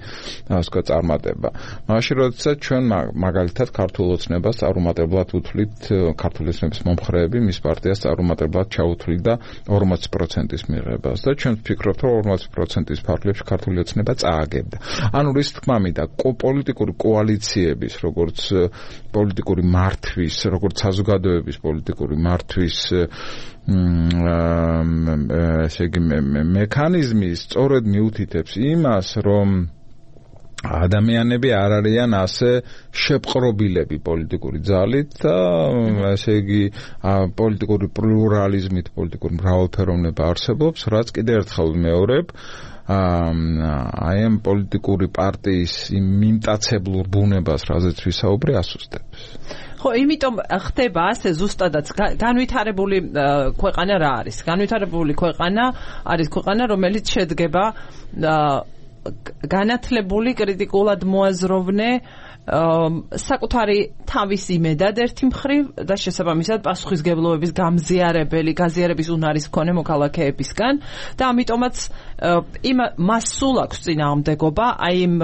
ასე ვთქვათ, წარმატება. მაშინ როდესაც ჩვენ მაგალითად ქართულ ოცნებას წარუმატებლად უთვლით, ქართული ოცნების მომხრეები მის პარტიას წარუმატებლად ჩაუთვლიდა 40%-ის მიღებას და ჩვენ ვფიქრობთ, რომ 40%-ის ფარგლებში ქართული ოცნება წააგებდა. რის თქმა მინდა, პოლიტიკური კოალიციების, როგორც პოლიტიკური მართვის, როგორც საზოგადოების პოლიტიკური მართვის ესე იგი მექანიზმი სწორედ მიუთითებს იმას, რომ ადამიანები არ არიან ასე შეპყრობილები პოლიტიკური ძალით და ესე იგი პოლიტიკური პლურალიზმით, პოლიტიკური მრავალფეროვნება არსებობს, რაც კიდევ ერთხელ ვიმეორებ, ამ პოლიტიკური პარტიის მიმტაცებლურ ბუნებას, რაზეც ვისაუბრე, ასუსტებს. ხო, იმიტომ ხდება ასე ზუსტადაც განვითარებული ქვეყანა რა არის? განვითარებული ქვეყანა არის ქვეყანა, რომელიც შედგება განათლებული, კრიტიკულად მოაზროვნე, საკუთარი თავის იმედად ერთი მხრივ და შესაბამისად პასუხისგებლობების გაზიარების უნარის მქონე მოქალაქეებისგან და ამიტომაც მას სულ აქვს წინააღმდეგობა იმ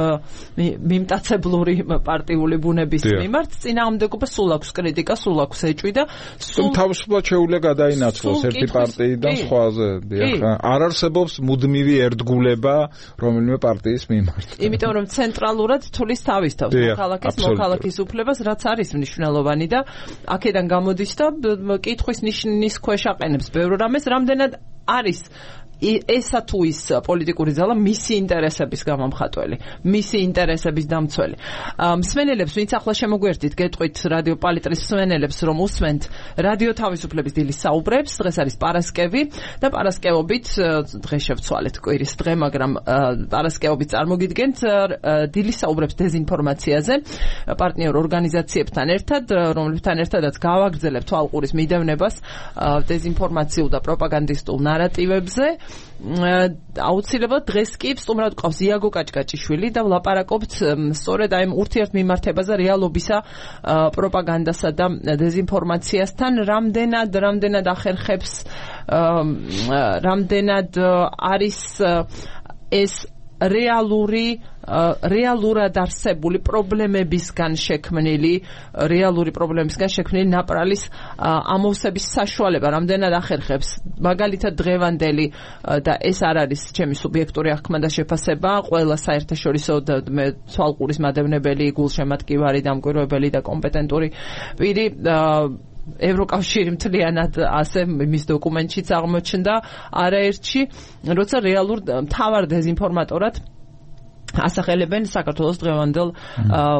მიმტაცებლური პარტიული ბუნების მიმართ, წინააღმდეგობა სულ აქვს კრიტიკა, სულ აქვს ეჭვი და თავისუფლად შეუძლია გადაინაცვლოს ერთი პარტიიდან სხვაზე. არ არსებობს მუდმივი ერთგულება რომელიმე პარტიის მიმართ. იმიტომ რომ ცენტრალურად თulis თავის თავს მოქალაქის უფლებას, რაც არის მნიშვნელოვანი და აქედან გამოდის და კითხვის ნიშნის ქვეშ აყენებს ბევრ რამეს, რამდენად არის ესა თუ ის პოლიტიკური ძალა მისი ინტერესების გამომხატველი, მისი ინტერესების დამცველი. მსმენელებს, ვინც ახლა შემოგვერთით, გეტყვით რადიო პალიტრის მსმენელებს, რომ უსმენთ რადიო თავისუფლების დილის საუბრებს, დღეს არის პარასკევი და პარასკევობით დღეს შევცვალეთ კვირის დღე, მაგრამ პარასკევობით წარმოგიდგენთ დილის საუბრებს დეзинფორმაციაზე პარტნიორ ორგანიზაციებთან ერთად, რომლებთან ერთადაც გავაგრძელებთ თვალყურის მიდევნებას დეзинფორმაციულ და პროპაგანდისტულ ნარატივებზე. აუცილებლად დღეს კი სტუმრად გვყავს იაგო კაჭკაჭიშვილი და ვლაპარაკობთ სწორედ აი ურთიერთმიმართებაზე რეალობისა პროპაგანდასა და დეზინფორმაციასთან რამდენად ახერხებს რამდენად არის ეს რეალურად არსებული პრობლემებისგან შექმნილი ნაპრალის ამოვსების საშუალება რამდენად ახერხებს მაგალითად დღევანდელი და ეს არ არის ჩემი სუბიექტური აღქმა და შეფასება ყველა საერთაშორისო მე თვალყურის მადევნებელი გულშემატკივარი დამკვირვებელი და კომპეტენტური პირი ევროკავშირი მთლიანად ასე მის დოკუმენტშიც აღმოჩნდა არაერთში როცა რეალურ მთავარ დეზინფორმატორად ასახელებენ საქართველოს დღევანდელ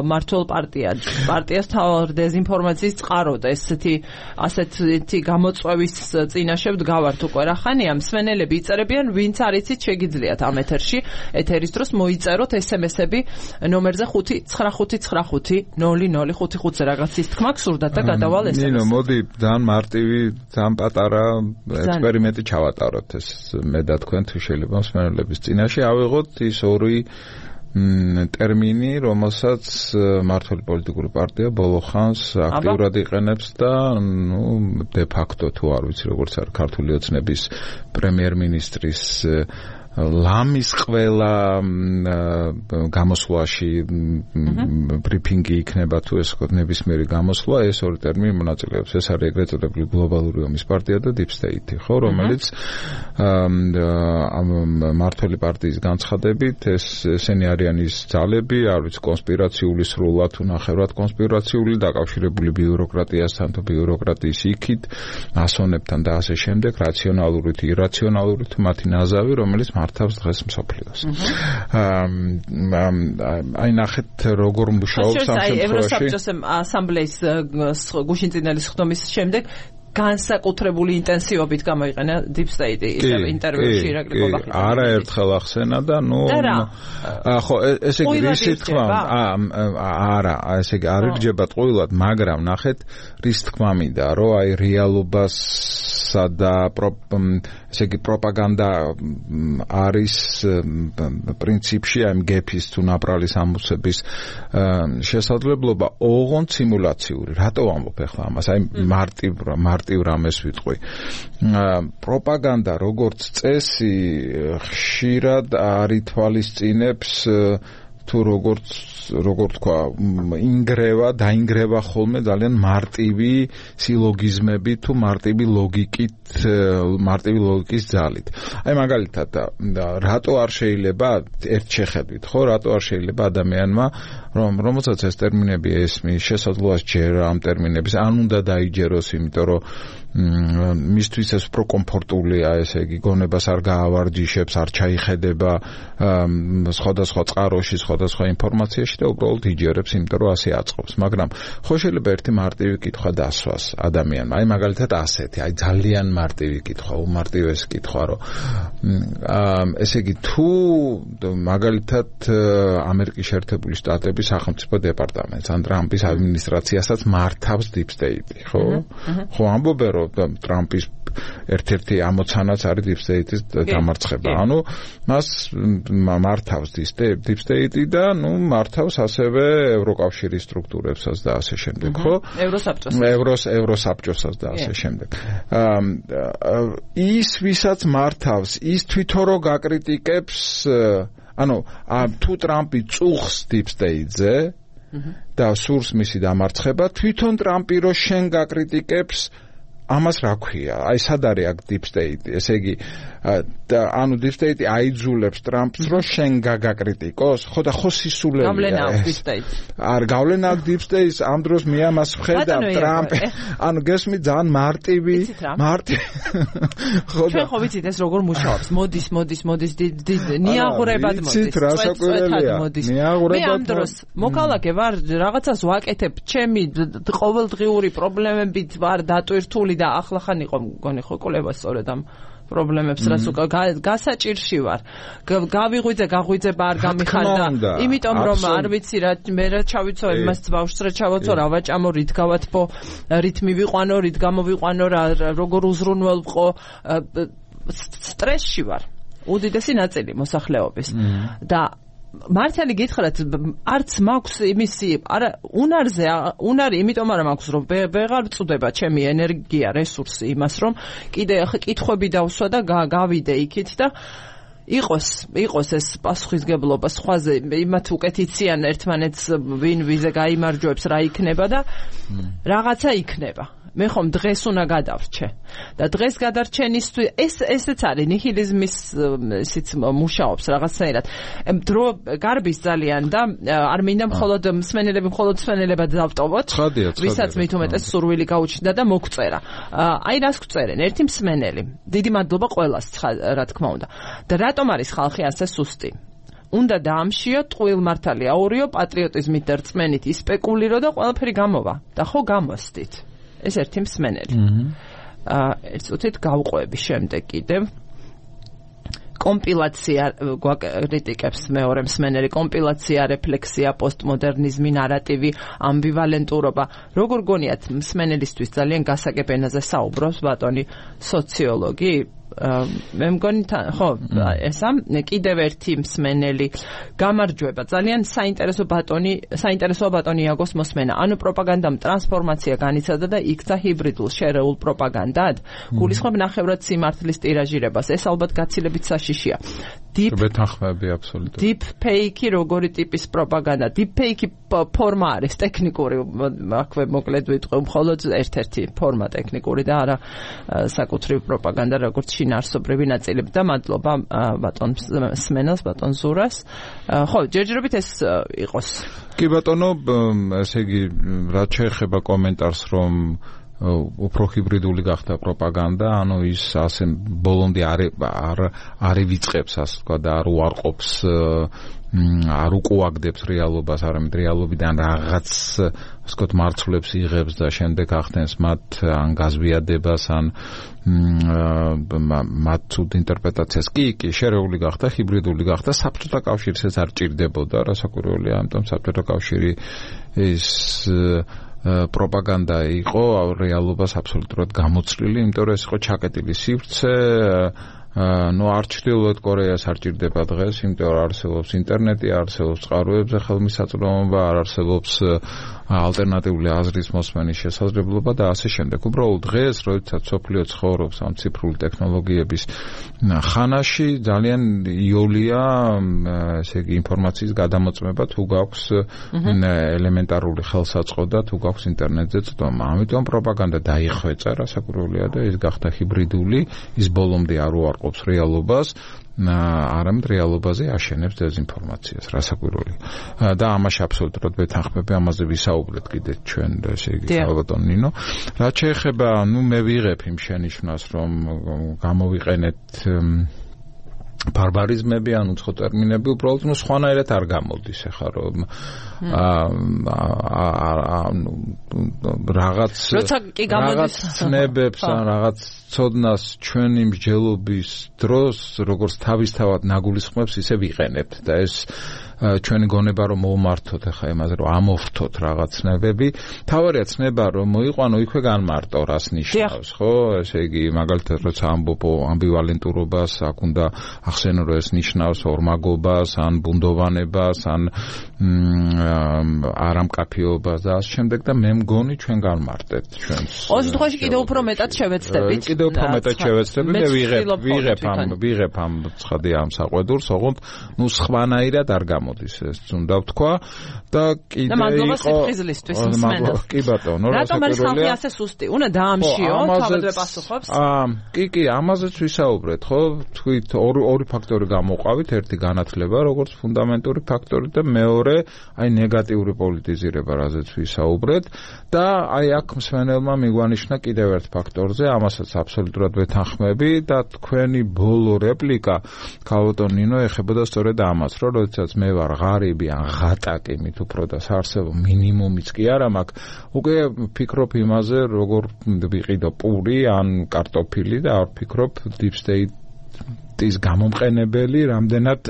მმართველ პარტიას თავარ დეზინფორმაციის წყარო და ასეთი გამოწვევის წინაშე ვდგავართ უკვე რა ხანია მსმენელები იწერებიან ვინც არიცით შეგიძლიათ ამ ეთერის დროს მოიწეროთ SMS-ები ნომერზე 595990055-ზე რაღაც ის თქმა გსურდათ და გადავალ SMS-ს. ნინო მოდი ძალიან მარტივი ძალიან პატარა ექსპერიმენტი ჩავატაროთ ეს მე და თქვენ თუ შეიძლება მსმენელების წინაშე ავიღოთ ის ორი ტერმინი, რომელსაც მმართველი პოლიტიკური პარტია ბოლო ხანს აქტიურად იყენებს და de facto თუ არ ვიცი როგორც არის ქართული ოცნების პრემიერ-მინისტრის ლამის ყველა გამოსვლაში ბრიფინგი იქნება თუ ეს ნებისმიერი გამოსვლა ეს ორი ტერმინი მონაწილეობს ეს არის ეგრეთ წოდებული გლობალური ომის პარტია და deep state ხო რომელიც მმართველი პარტიის განცხადებით ესენი არიან ის ძალები არ ვიცი კონსპირაციული სრულად თუ ნახევრად კონსპირაციული დაკავშირებული ბიუროკრატიასთან თუ ბიუროკრატიის იქით ასონებთან და ასე შემდეგ რაციონალური თუ ირაციონალური თუ მათი ნაზავი რომელიც მართავს დღეს მსოფლიოს. აი ნახეთ როგორ მუშაობს ამ შემთხვევაში. ევროსაბჭოს ასამბლეის გუშინწინელი სხდომის შემდეგ განსაკუთრებული ინტენსივობით გამოიყენა deep state ისევ ინტერვიუში ირაკლი კობახიძე. არა ერთხელ ახსენა და ხო ესე იგი ისი თქმა არა ესე იგი არ ირჯება ტყუილად მაგრამ ნახეთ რის თქმა მინდა რომ აი რეალობასა და ესე იგი პროპაგანდა არის პრინციპში აი გეფის თუ ნაპრალის ამოსების შესაძლებლობა ოღონდ სიმულაციური რატო ვამბობ ახლა ამას აი მარტივ რამეს ვიტყვი პროპაგანდა როგორც წესი ხშირად არითვალისწინებს თუ როგორ თქვა დაინგრევა ხოლმე ძალიან მარტივი სილოგიზმები თუ მარტივი ლოგიკის ძალით. აი მაგალითად რატო არ შეიძლება ერთ შეხედვით ხო რატო არ შეიძლება ადამიანმა რომელსაც ეს ტერმინები ესმის შესაძლოა ჯერა ამ ტერმინების ან უნდა დაიჯეროს იმიტომ რომ მისთვის ეს უფრო კომფორტულია ესე იგი გონებას არ გაავარჯიშებს არ ჩაიხედება სხვადასხვა წყაროში სხვადასხვა ინფორმაციაში და უბრალოდ იჯერებს იმიტომ რომ ასე აწყობს მაგრამ ხო შეიძლება ერთი მარტივი კითხვა დასვას ადამიანმა აი მაგალითად ასეთი აი ძალიან მარტივი კითხვა უმარტივესი კითხვა რომ ესე იგი თუ მაგალითად ამერიკის შეერთებული შტატების სახელმწიფო დეპარტამენტს ან ტრამპის ადმინისტრაციასაც მართავს deep state ხო ამბობენ რომ ტრამპის ერთ-ერთი ამოცანაც არის deep state-ის დამარცხება. ანუ მას მართავს deep state და მართავს ასევე ევროკავშირის სტრუქტურებსაც და ასე შემდეგ, ხო? ევროსაბჭოსაც და ასე შემდეგ. ის ვისაც მართავს, ის თვითონ რო გაკრიტიკებს, ანუ თუ ტრამპი წუხს deep state-ზე და სურს მისი დამარცხება, თვითონ ტრამპი რო შენ გაკრიტიკებს ამას რა ქვია? აი სად არის აქ deep state? ესე იგი ანუ deep state აიძულებს ტრამპს რომ შენ გაგაკრიტიკოს? ხო და ხო სისულელია. გავლენა აქვს deep state. არ გავლენა აქვს deep state ამ დროს მე ამას ვხედავ ტრამპ. ანუ გესმი ძალიან მარტივი. ხო და ხო ვიცით ეს როგორ მუშაობს. მოდის ნიაღურებად მოდის. მე ამ დროს მოკალაკე ვარ რაღაცას ვაკეთებ ჩემი ყოველდღიური პრობლემებით ვარ დატვირთული და ახლა ხან იყო მგონი ხო კოლება სწორედ ამ პრობლემებს რაც გასაჭირში ვარ გაღვიძება არ გამიხარდა იმიტომ რომ არ ვიცი რა მე რა ჩავიცო იმას ბავშვს რა ჩავაცო რა ვაჭამო რით გავათბო რით მივიყვანო რით გამოვიყვანო რა როგორ უზრუნველყო სტრესში ვარ. უდიდესი ნაწილი მოსახლეობის და მართალი გითხრათ, არც მაქვს იმისი, არა, უნარი, იმიტომ არა მაქვს, რომ ვეღარ წვდება ჩემი ენერგია, რესურსი იმას, რომ კიდე კითხვები დავსვა და გავიდე იქით და იყოს ეს პასუხისგებლობა სხვაზე, იმათ უკეთ იციან ერთმანეთს ვინ ვიზე გაიმარჯვებს რა იქნება და რაღაცა იქნება. მე ხომ დღეს უნდა გადავრჩე და დღეს გადარჩენისთვის ესეც არის ნიჰილიზმის ისიც მუშაობს რაღაცნაირად. დრო გარბის ძალიან და არ მინდა მხოლოდ მსმენელებად დავტოვოთ, ვისაც მით უმეტეს სურვილი გაუჩნდა და მოგწერა. აი რას გვწერენ, ერთი მსმენელი. დიდი მადლობა ყველას, რა თქმა უნდა. და რატომ არის ხალხი ასე სუსტი? უნდა დაამშიო, ტყუილმართალი აურიო, პატრიოტიზმით და რწმენით ისპეკულირო და ყველაფერი გამოვა. და ხო გამოსდით. ეს ერთი მსმენელი. ერთ წუთით გავყვები შემდეგ კიდევ. კომპილაცია გვაკრიტიკებს მეორე მსმენელი, კომპილაცია, რეფლექსია, პოსტმოდერნიზმი, ნარატივი, ამბივალენტურობა. როგორ გონიათ მსმენელისთვის ძალიან გასაგებ ენაზე საუბრობს ბატონი სოციოლოგი? მე მგონი ხო ესა კიდევ ერთი მსმენელი გამარჯვება ძალიან საინტერესო ბატონი იაგოს მოსმენა. ანუ პროპაგანდამ ტრანსფორმაცია განიცადა და იქცა ჰიბრიდულ შერეულ პროპაგანდად. გულისხმობ ნახევრად სიმართლის ტირაჟირებას. ეს ალბათ გაცილებით საშიშია. ბეთანხმები აბსოლუტურად. Deep fake როგორი ტიპის პროპაგანდა? Deep fake ფორმა არის ტექნიკური, აქვე მოკლედ ვიტყვი, მხოლოდ ერთ-ერთი ფორმა ტექნიკური და არა საკუთრივ პროპაგანდა, როგორც შინაარსობრივი ნაწილები და მადლობა ბატონ სმენელს, ბატონ ზურას. ხო, ჯერჯერობით ეს იყოს. კი ბატონო, ესე იგი, რაც შეეხება კომენტარს, რომ უფრო ჰიბრიდული გახდა პროპაგანდა, ანუ ის ასე ბოლომდე არ ვიწყებს, ასე თქვა და არ უარყოფს, არ უკუაგდებს რეალობას, არამედ რეალობიდან რაღაც, ასე ვთქვათ, მარცვლებს იღებს და შემდეგ ახდენს მათ ან გაზვიადებას, ან მათ ცუდ ინტერპრეტაციას. კი, შერეული გახდა, ჰიბრიდული გახდა, საბჭოთა კავშირს ეს არ ჭირდებოდა, რასაკვირველია, ამიტომ საბჭოთა კავშირი ის პროპაგანდა იყო რეალობას აბსოლუტურად გამოცვლილი, იმიტომ რომ ეს იყო ჩაკეტილი სივრცე. არ ჩრდილოეთ კორეას არ ჭირდება დღეს, იმიტომ რომ არსებობს ინტერნეტი, არსებობს წყაროებზე ხელმისაწვდომობა, არ არსებობს ალტერნატიული აზრის მოსმენის შესაძლებლობა და ასე შემდეგ. უბრალოდ დღეს, როდესაც სოფლიო ცხოვრობს ამ ციფრული ტექნოლოგიების ხანაში, ძალიან იოლია, ესე იგი, ინფორმაციის გადამოწმება, თუ გაქვს ელემენტარული ხელსაწყო და თუ გაქვს ინტერნეტზე წვდომა. ამიტომ პროპაგანდა დაიხვეწა, რასაკვირველია და ის გახდა ჰიბრიდული, ის ბოლომდე არ უარყოფს რეალობას, არამედ რეალობაზე აშენებს დეзინფორმაციას, რასაკვირველი. და ამაში აბსოლუტურად ვეთანხმები, ამაზე ვისაუბრეთ კიდე ჩვენ, ესე იგი, ბატონ ნინო. რაც შეეხება, მე ვიღებ იმ შენიშვნას, რომ გამოვიყენეთ ბარბარიზმები, ან უცხო ტერმინები, უბრალოდ სხვანაირად არ გამოდის ახლა, რომ რაღაც ცნებებს, ან რაღაც ცოდნას ჩვენი მსჯელობის დროს, როგორც თავისთავად ნაგულისხმებს, ისე ვიყენებთ და ეს ჩვენი გონება რომ მოვმართოთ ახლა იმაზე რომ ამოვრთოთ რაღაც ცნებები. თავარია ცნება რომ მოიყვანო იქვე განმარტო რას ნიშნავს, ხო? ესე იგი მაგალითად როცა ამბობ ამბივალენტურობას, აქ უნდა ახსენო რომ ეს ნიშნავს ორმაგობას, ან ბუნდოვანებას, ან არამკაფიობას და ამ შემდეგ და მე მგონი ჩვენ განმარტეთ ჩვენს. ოღონდ შემთხვევაში კიდევ უფრო მეტად შევეცდებით. კიდევ უფრო მეტად შევეცდები და ვიღებ ამ ცხადი ამ საყვედურს, ოღონდ სხვანაირად არ გამოდის ეს უნდა ვთქვა და კიდე მადლობა სიფხიზლისთვის მსმენელს. კი ბატონო, რატომ არის ხალხი ასე სუსტი? უნდა დაამშიო, თავადვე პასუხობს. კი, ამაზეც ვისაუბრეთ, ხო? თქვით ორი ფაქტორი გამოვყავით, ერთი განათლება, როგორც ფუნდამენტური ფაქტორი და მეორე აი ნეგატიური პოლიტიზირება, რაზეც ვისაუბრეთ და აი აქ მსმენელმა მიგვანიშნა კიდევ ერთ ფაქტორზე, ამასაც აბსოლუტურად ვეთანხმები და თქვენი ბოლო რეპლიკა ქალბატონ ნინო ეხებოდა სწორედ ამას, რომ როდესაც მე ვარ ღარიბი ან ღატაკი, მით უფრო და საარსებო მინიმუმიც კი არა მაქვს, უკვე ვფიქრობ იმაზე, როგორ ვიყიდო პური ან კარტოფილი და არ ვფიქრობ deep state ის გამომყენებელი რამდენად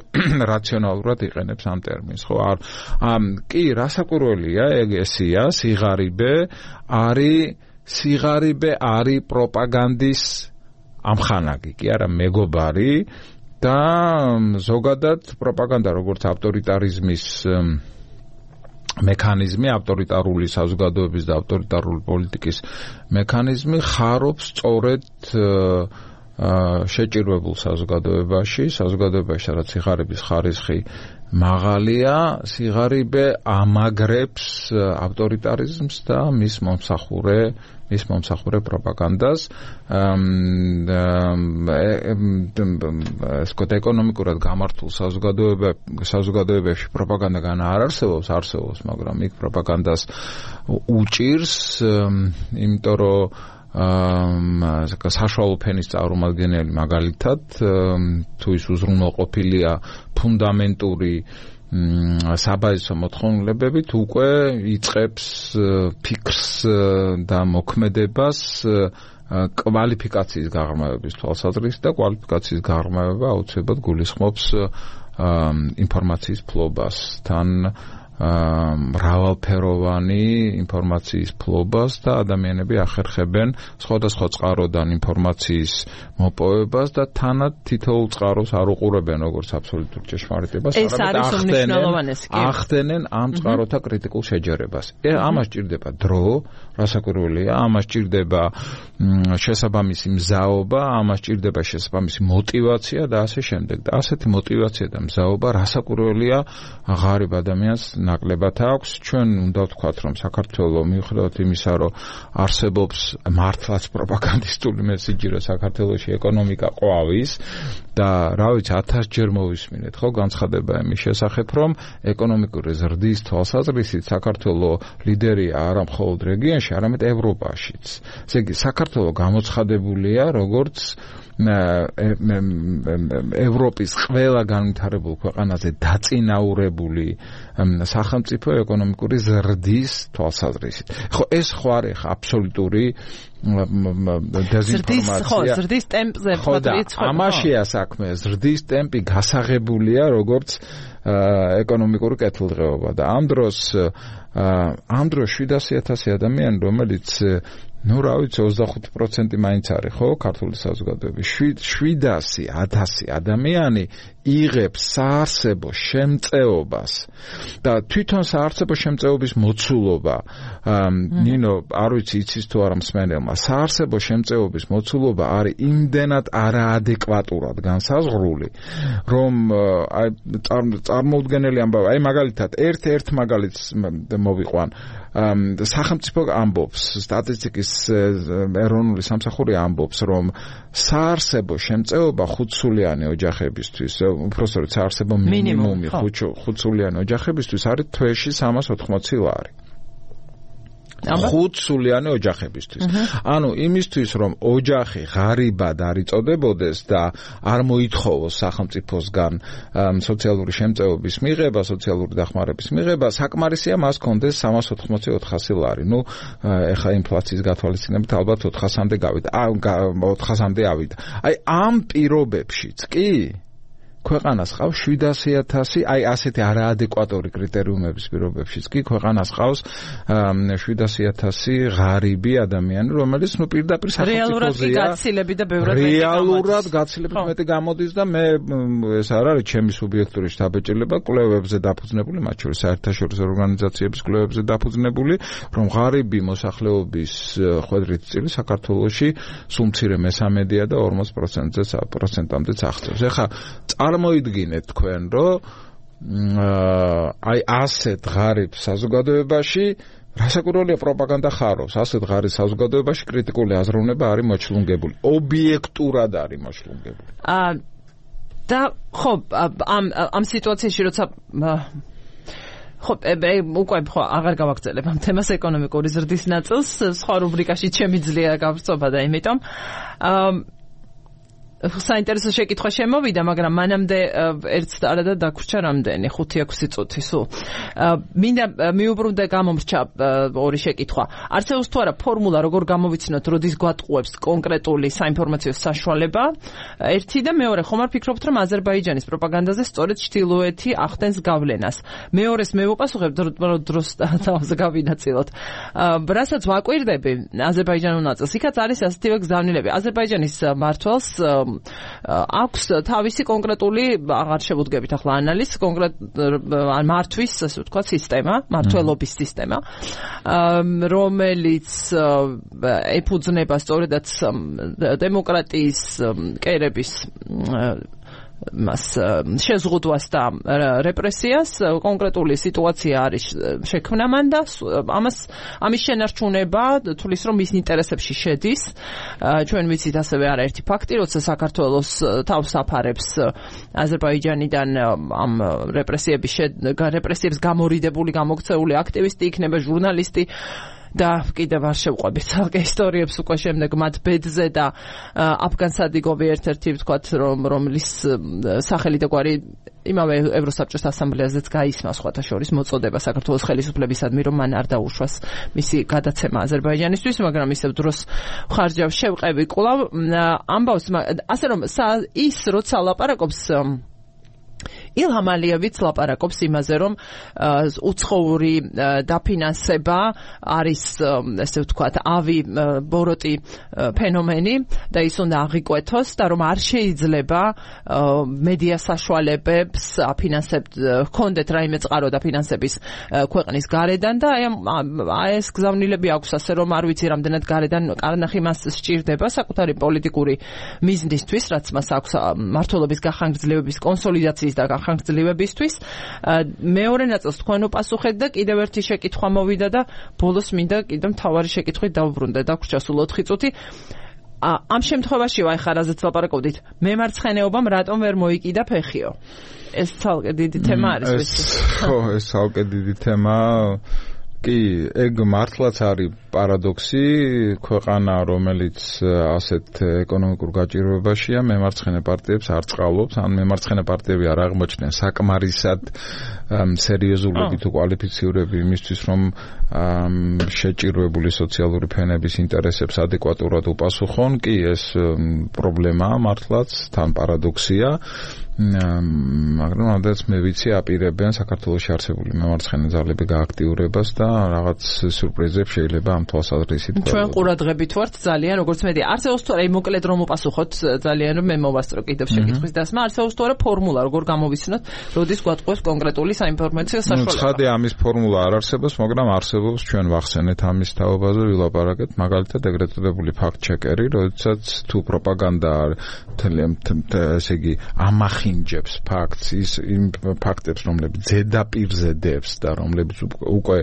რაციონალურად იყენებს ამ ტერმინს, ხო? კი, რასაკვირველია, ესია, სიღარიბე არის პროპაგანდის ამხანაგი კი არა მეგობარი და ზოგადად პროპაგანდა როგორც ავტორიტარიზმის მექანიზმი, ავტორიტარული საზოგადოების და ავტორიტარული პოლიტიკის მექანიზმი ხარობს სწორედ შეჭირვებულ საზოგადოებაში, სადაც სიღარიბის ხარისხი მაღალია, სიღარიბე ამაგრებს ავტორიტარიზმს და მის მომსახურე პროპაგანდას. ეკონომიკურად გამართულ საზოგადოებებში პროპაგანდაგან არ არსებობს, მაგრამ იქ პროპაგანდას უჭირს, იმიტომ რომ საშუალო ფენის წარმომადგენელი მაგალითად თუ ის უზრუნველყოფილია ფუნდამენტური საბაზისო მოთხოვნილებებით უკვე იწყებს ფიქრს და მოქმედებას კვალიფიკაციის გაღრმავების თვალსაზრისით და კვალიფიკაციის გაღრმავება აუცილებლად გულისხმობს ინფორმაციის ფლობას თან მრავალფეროვანი ინფორმაციის ფლობას და ადამიანები ახერხებენ სხვადასხვა წყაროდან ინფორმაციის მოპოვებას და თანაც თითოეულ წყაროს არ უყურებენ როგორც აბსოლუტურ ჭეშმარიტებას, არამედ ახდენენ ამ წყაროთა კრიტიკულ შეჯერებას. ამას ჭირდება დრო, რასაკვირველია, ამას ჭირდება შესაბამისი მზაობა, ამას ჭირდება შესაბამისი мотивация და ასე შემდეგ. და ასეთი мотивация და მზაობა რასაკვირველია ღარიბ ადამიანს ნაკლებად აქვს. ჩვენ უნდა ვთქვათ, რომ საქართველოს მიუხედავად იმისა, რომ არსებობს მართლაც პროპაგანდისტული მესიჯი, რომ საქართველოში ეკონომიკა ყვავის და რა ვიცი 1000-ჯერ მოვისმინეთ, ხო, განცხადება იმის შესახებ, რომ ეკონომიკური ზრდის თვალსაზრისით საქართველოს ლიდერია არა მხოლოდ რეგიონში, არამედ ევროპაშიც. ესე იგი, საქართველოს გამოცხადებულია როგორც ევროპის ყველა განვითარებულ ქვეყანაზე დაწინაურებული სახელმწიფო ეკონომიკური ზრდის თვალსაზრისით. ხო, ეს ხო არის აბსოლუტური დეზინფორმაცია. ზრდის ტემპზე ვთქვათ, ამაშია საქმე. ზრდის ტემპი გასაღებულია როგორც ეკონომიკური კეთილდღეობა და ამ დროს 700,000 ადამიანი, რომელიც ну, რა ვიცი, 25% მაინც არის, ხო, ქართული საზოგადოების. 700,000 ადამიანი იღებს საარსებო შემწეობას და თვითონ საარსებო შემწეობის მოცულობა, ნინო, არ ვიცი, იცის თუ არა მსმენელმა, საარსებო შემწეობის მოცულობა არის იმდენად არაადეკვატურად განსაზღვრული, რომ აი წარმოუდგენელი ამბავი, აი მაგალითად, ერთ მაგალითს მოვიყვან. სახელმწიფო ამბობს, სტატისტიკის ეროვნული სამსახური ამბობს, რომ საარსებო შემწეობა 5-სულიანი ოჯახებისთვის, უпростоროდ საარსებო მინიმუმი 5-სულიანი ოჯახებისთვის არის თვეში 380 ლარი. 5-სულიანი ოჯახებისთვის. ანუ იმისთვის, რომ ოჯახი ღარიბად არ იწოდებოდეს და არ მოითხოვოს სახელმწიფოსგან სოციალური შემწეობის მიღება, სოციალური დახმარების მიღება, საკმარისია მას კონდეს 380-400 ლარი. ნუ ეხა ინფლაციის გათვალისწინებით ალბათ 400-მდე გავიდა. 400-მდე ავიდა. აი ამ პირობებშიც კი ქვეყანას ყავს 700,000, აი ასეთი არაადეკვატური კრიტერიუმების პირობებშიც კი ქვეყანას ყავს 700,000 ღარიბი ადამიანი, რომელიც ნუ პირდაპირ სახელმწიფოზეა. რეალურად გაცილებით მეტი გამოდის და მე ეს არ არის ჩემი სუბიექტური შთაბეჭდილება, კვლევებზე დაფუძნებული, მათ შორის საერთაშორისო ორგანიზაციების კვლევებზე დაფუძნებული, რომ ღარიბი მოსახლეობის ხვედრით წილი საქართველოში სულ მცირე მესამედია და 40%-მდე აღწევს. ეხლა წარმოიდგინეთ თქვენ, რომ აი ასეთ ღარიბ საზოგადოებაში რასაკვირველია პროპაგანდა ხარობს, ასეთ ღარიბ საზოგადოებაში კრიტიკული აზროვნება არის მოჩლუნგებული, ობიექტურად არის მოჩლუნგებული. და ხო, ამ სიტუაციაში როცა ხო, უკვე ხო აღარ გავაგრძელებ ამ თემას ეკონომიკური ზრდის ნაწილს, სხვა რუბრიკაში ჩემი ძლიერა გავრცობა და იმიტომ საინტერესო შეკითხვა შემოვიდა, მაგრამ მანამდე ერთს არადა დაგვრჩა რამდენი 5-6 წუთი სულ. მინდა მიუბრუნდე გამომრჩა ორი შეკითხვა. არსებობს თუ არა ფორმულა, როგორ გამოვიცნოთ, როდის გვატყუებს კონკრეტული საინფორმაციო საშუალება? ერთი და მეორე, ხომ არ ფიქრობთ, რომ აზერბაიჯანის პროპაგანდაზე სწორედ ჩრდილოეთი ახდენს გავლენას? მეორეს მე ვუპასუხებ დროს თავზე გავინაწილოთ. რასაც ვაკვირდები აზერბაიჯანულ ნაწილს, იქაც არის ასეთივე გზავნილები. აზერბაიჯანის მმართველს აქვს თავისი კონკრეტული, აღარ შევუდგებით ახლა ანალიზს, მართვის, ასე ვთქვათ, სისტემა, მმართველობის სისტემა, რომელიც ეფუძნება სწორედაც დემოკრატიის კერების მას შეზღუდვას და რეპრესიას. კონკრეტული სიტუაცია არის შექმნა მან და ამის შენარჩუნება თulis რომ მის ინტერესებში შედის. ჩვენ ვიცით ასევე არაერთი ფაქტი, როცა საქართველოს თავს აფარებს აზერბაიჯანიდან ამ რეპრესიებს გამორიდებული, გამოქცეული აქტივისტი იქნება, ჟურნალისტი და კიდევ არ შევყვებით ცალკე ისტორიებს უკვე შემდეგ მათ ბედზე და აფგან სადიგოვი ერთ-ერთი ვთქვათ რომლის სახელი და გვარი იმავე ევროსაბჭოს ასამბლეაზეც გაისმა სხვათა შორის მოწოდება საქართველოს ხელისუფლებისადმი რომ მან არ დაუშვას მისი გადაცემა აზერბაიჯანისთვის, მაგრამ ისევ დროს ხარჯავს შევყევი კვლავ ამბავს ასე რომ ის როცა ლაპარაკობს ილჰამ ალიევიც ლაპარაკობს იმაზე, რომ უცხოური დაფინანსება არის, ესე ვთქვათ, ავი ბოროტი ფენომენი და ის უნდა აღიკვეთოს და რომ არ შეიძლება მედია საშუალებებს აფინანსებთ, ჰქონდეთ რაიმე წყარო დაფინანსების ქვეყნის გარედან და აი ეს გზავნილები აქვს, ასე რომ არ ვიცი რამდენად გარედან კარნახი მას სჭირდება საკუთარი პოლიტიკური მიზნისთვის, რაც მას აქვს მმართველობის გახანგრძლივების კონსოლიდაციის და ხანგრძლივებისთვის. მეორე ნაწილს თქვენ უპასუხეთ და კიდევ ერთი შეკითხვა მოვიდა და ბოლოს მინდა კიდევ მთავარი შეკითხვით დავუბრუნდე. დაგვრჩა სულ 4 წუთი. ამ შემთხვევაში ვაი ხარაზეც ლაპარაკობდით. მემარცხენეობამ რატომ ვერ მოიკიდა ფეხიო? ეს ცალკე დიდი თემა არის. ხო, ეს ცალკე დიდი თემა. კი, ეგ მართლაც არის პარადოქსი, ქვეყანა, რომელიც ასეთ ეკონომიკურ გაჭირვებაშია, მემარცხენე პარტიებს არ წყალობს, ან მემარცხენე პარტიები არ აღმოჩნდნენ საკმარისად სერიოზულები თუ კვალიფიციური იმისთვის, რომ შეჭირვებული სოციალური ფენების ინტერესებს ადეკვატურად უპასუხონ. კი, ეს პრობლემაა მართლაც, თან პარადოქსია. მაგრამ ამდენს მე ვიცი აპირებენ საქართველოში არსებული მემარცხენე ძალები გააქტიურებას და რაღაც სიურპრიზებს შეიძლება ამ თვალსაზრისით. ჩვენ ყურადღებით ვართ ძალიან, როგორც მედი. არსებობს თუ არა, მოკლედ რომ უპასუხოთ ძალიან რომ მე მოვასწრო კიდევ შეკითხვის დასმა, არსებობს თუ არა ფორმულა, როგორ გამოვიცნოთ, როდის გვატყუებს კონკრეტული საინფორმაციო საშუალება. ცხადია, ამის ფორმულა არ არსებობს, მაგრამ არსებობს, ჩვენ ვახსენეთ ამის თაობაზე, ვილაპარაკეთ, მაგალითად ეგრეთ წოდებული ფაქტ-ჩეკერი, როდესაც თუ პროპაგანდა ესე იგი ამახინჯებს ფაქტს, იმ ფაქტებს, რომლებიც ზედაპირზე დევს და რომლებიც უკვე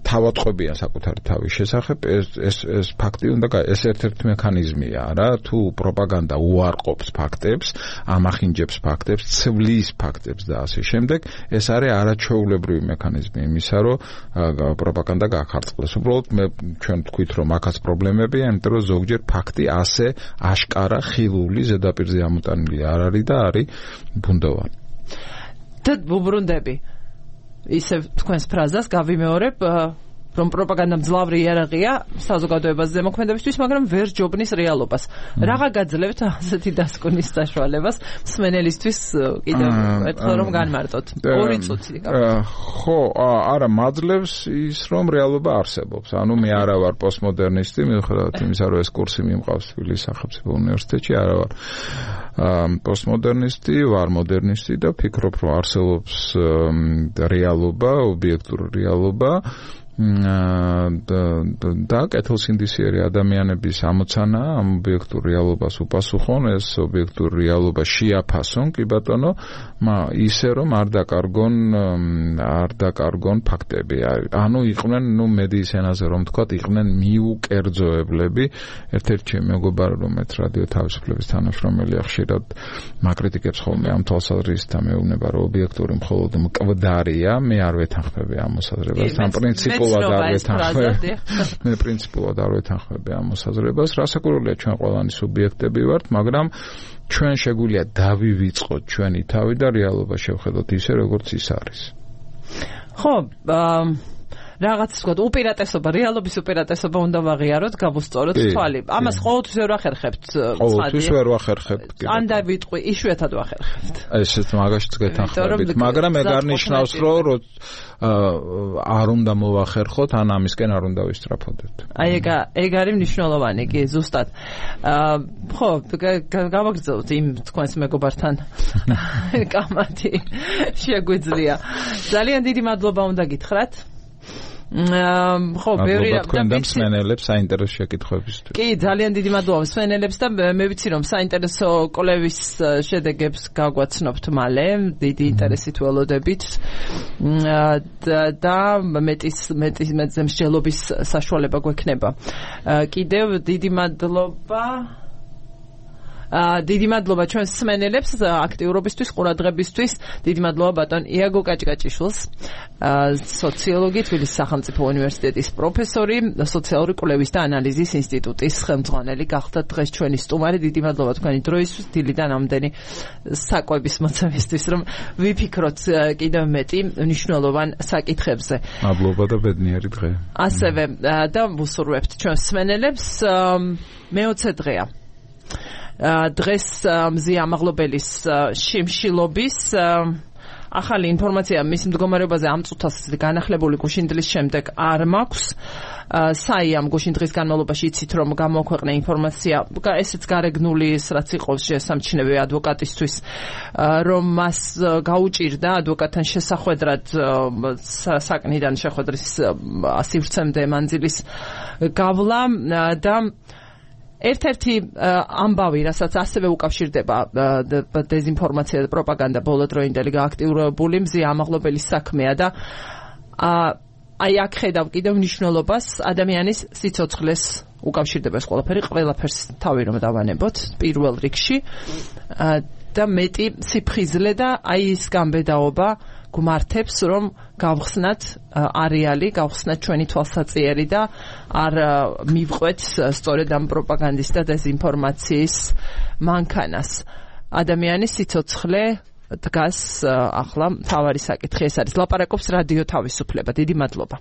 თავატყობიან საკუთარი თავის შესახებ, ეს ფაქტი უნდა ეს ერთ-ერთი მექანიზმია რა, თუ პროპაგანდა უარყოფს ფაქტებს, ამახინჯებს ფაქტებს, ცვლის ფაქტებს და ასე შემდეგ, ეს არის არაჩვეულებრივი მექანიზმი იმისა, რომ პროპაგანდა გაახარწყლოს. უბრალოდ ჩვენ თქვით, რომ აქაც პრობლემებია, იმიტომ რომ ზოგჯერ ფაქტი ასე აშკარა ხილული ზედაპირზე ამოტანილი არ არის და არის ბუნდოვანი. და ვუბრუნდები ისევ თქვენს ფრაზას გავიმეორებ, რომ პროპაგანდა მძლავრი იარაღია საზოგადოებას ზემოქმედებისთვის, მაგრამ ვერ ჯობნის რეალობას. რაღა გაძლევთ ასეთი დასკვნის საშუალებას მსმენელისთვის კიდევ ერთხელ რომ განმარტოთ. 2 წუთი. ხო, არა მაძლევს ის რომ რეალობა არსებობს. ანუ მე არა ვარ პოსტმოდერნისტი, მიუხედავად იმისა, რომ ეს კურსი მიმყავს თბილისის სახელმწიფო უნივერსიტეტში, არა ვარ პოსტმოდერნისტი, ვარ მოდერნისტი და ვფიქრობ, რომ არსებობს რეალობა, ობიექტური რეალობა. და კეთილსინდისიერი ადამიანების ამოცანა ამ ობიექტურ რეალობას უპასუხონ, ეს ობიექტურ რეალობა შეაფასონ, კი ბატონო, ისე რომ არ დაკარგონ ფაქტები. ანუ იყვნენ, მედიის ენაზე რომ ვთქვათ, იყვნენ მიუკერძოებლები. ერთ-ერთი მეგობარი, რომელიც რადიო თავისუფლების თანამშრომელია, ხშირად მაკრიტიკებს ხოლმე ამ თვალსაზრისით და მეუბნება, რომ ობიექტური მხოლოდ მკვდარია, მე არ ვეთანხმები ამ მოსაზრებას. ამ პრინციპულ პრინციპულად არ ვეთანხმები ამ მოსაზრებას. რასაკვირველია, ჩვენ ყველანი სუბიექტები ვართ, მაგრამ ჩვენ შეგვიძლია დავივიწყოთ ჩვენი თავი და რეალობა შევხედოთ ისე, როგორც ის არის. ხო, რაღაც ვთქვათ, უპირატესობა, რეალობის უპირატესობა უნდა ვაღიაროთ, გავუსწოროთ თვალი. ამას ყოველთვის ვერ ვახერხებთ. ყოველთვის ვერ ვახერხებთ. ან დავიტყვი, იშვიათად ვახერხებთ. ესეც მაგაშიც გეთანხმებით, მაგრამ ეგ არ ნიშნავს, რომ არ უნდა მოვახერხოთ, ან ამისკენ არ უნდა ვისწრაფოდეთ. აი ეგ არის მნიშვნელოვანი კი ზუსტად. ხო, გავაგრძელოთ იმ თქვენს მეგობართან კამათი შეგვიძლია. ძალიან დიდი მადლობა უნდა გითხრათ. ხო, ბევრი რამ და მსმენელებს საინტერესო შეკითხვებისთვის. კი, ძალიან დიდი მადლობა მსმენელებს და მე ვიცი რომ საინტერესო კვლევის შედეგებს გაგვაცნობთ მალე, დიდი ინტერესით ველოდებით. და მეტზე მსჯელობის საშუალება გვექნება. კიდევ დიდი მადლობა დიდი მადლობა ჩვენს მსმენელებს აქტიურობისთვის, ყურადღებისთვის. დიდი მადლობა ბატონ იაგო კაჭკაჭიშვილს, სოციოლოგი, თბილისის სახელმწიფო უნივერსიტეტის პროფესორი, სოციალური კვლევის და ანალიზის ინსტიტუტის ხელმძღვანელი გახდა დღეს ჩვენი სტუმარი. დიდი მადლობა თქვენი დროისთვის, დილიდან ამდენი საკვების მოწევისთვის, რომ ვიფიქროთ კიდევ მეტი მნიშვნელოვან საკითხებზე. მადლობა და ბედნიერი დღე. ასევე და ვუსურვებთ ჩვენს მსმენელებს მე-20 დღეა. დღეს მზია ამაღლობელის შიმშილობის ახალი ინფორმაცია მის მდგომარეობაზე ამ წუთას განახლებული გუშინდლის შემდეგ არ მაქვს. საიამ გუშინდლის განმავლობაში იცით რომ გამოქვეყნა ინფორმაცია, ესეც გარეგნული რაც იყო შესამჩნევი ადვოკატისთვის, რომ მას გაუჭირდა ადვოკატთან შესახვედრად საკნიდან შეხვედრის სივრცემდე მანძილის გავლა და ერთ-ერთი ამბავი, რასაც ასევე უკავშირდება დეზინფორმაცია და პროპაგანდა ბოლოდროინდელი გააქტიურებული მზია ამაღლობელის საქმეა და აი აქ ხედავ კიდევ მნიშვნელობას ადამიანის სიცოცხლეს უკავშირდება ეს ყველაფერს თავი რომ დავანებოთ პირველ რიგში და მეტი სიფხიზლე და აი ის გამბედაობა გვმართებს რომ გავხსნათ არეალი, გავხსნათ ჩვენი თვალსაჩინო და არ მივყვეთ სწორედ ამ პროპაგანდის და დეზინფორმაციის მანქანას. ადამიანის სიცოცხლე დგას ახლა მთავარი საკითხი ეს არის. ლაპარაკობს რადიო თავისუფლება. დიდი მადლობა.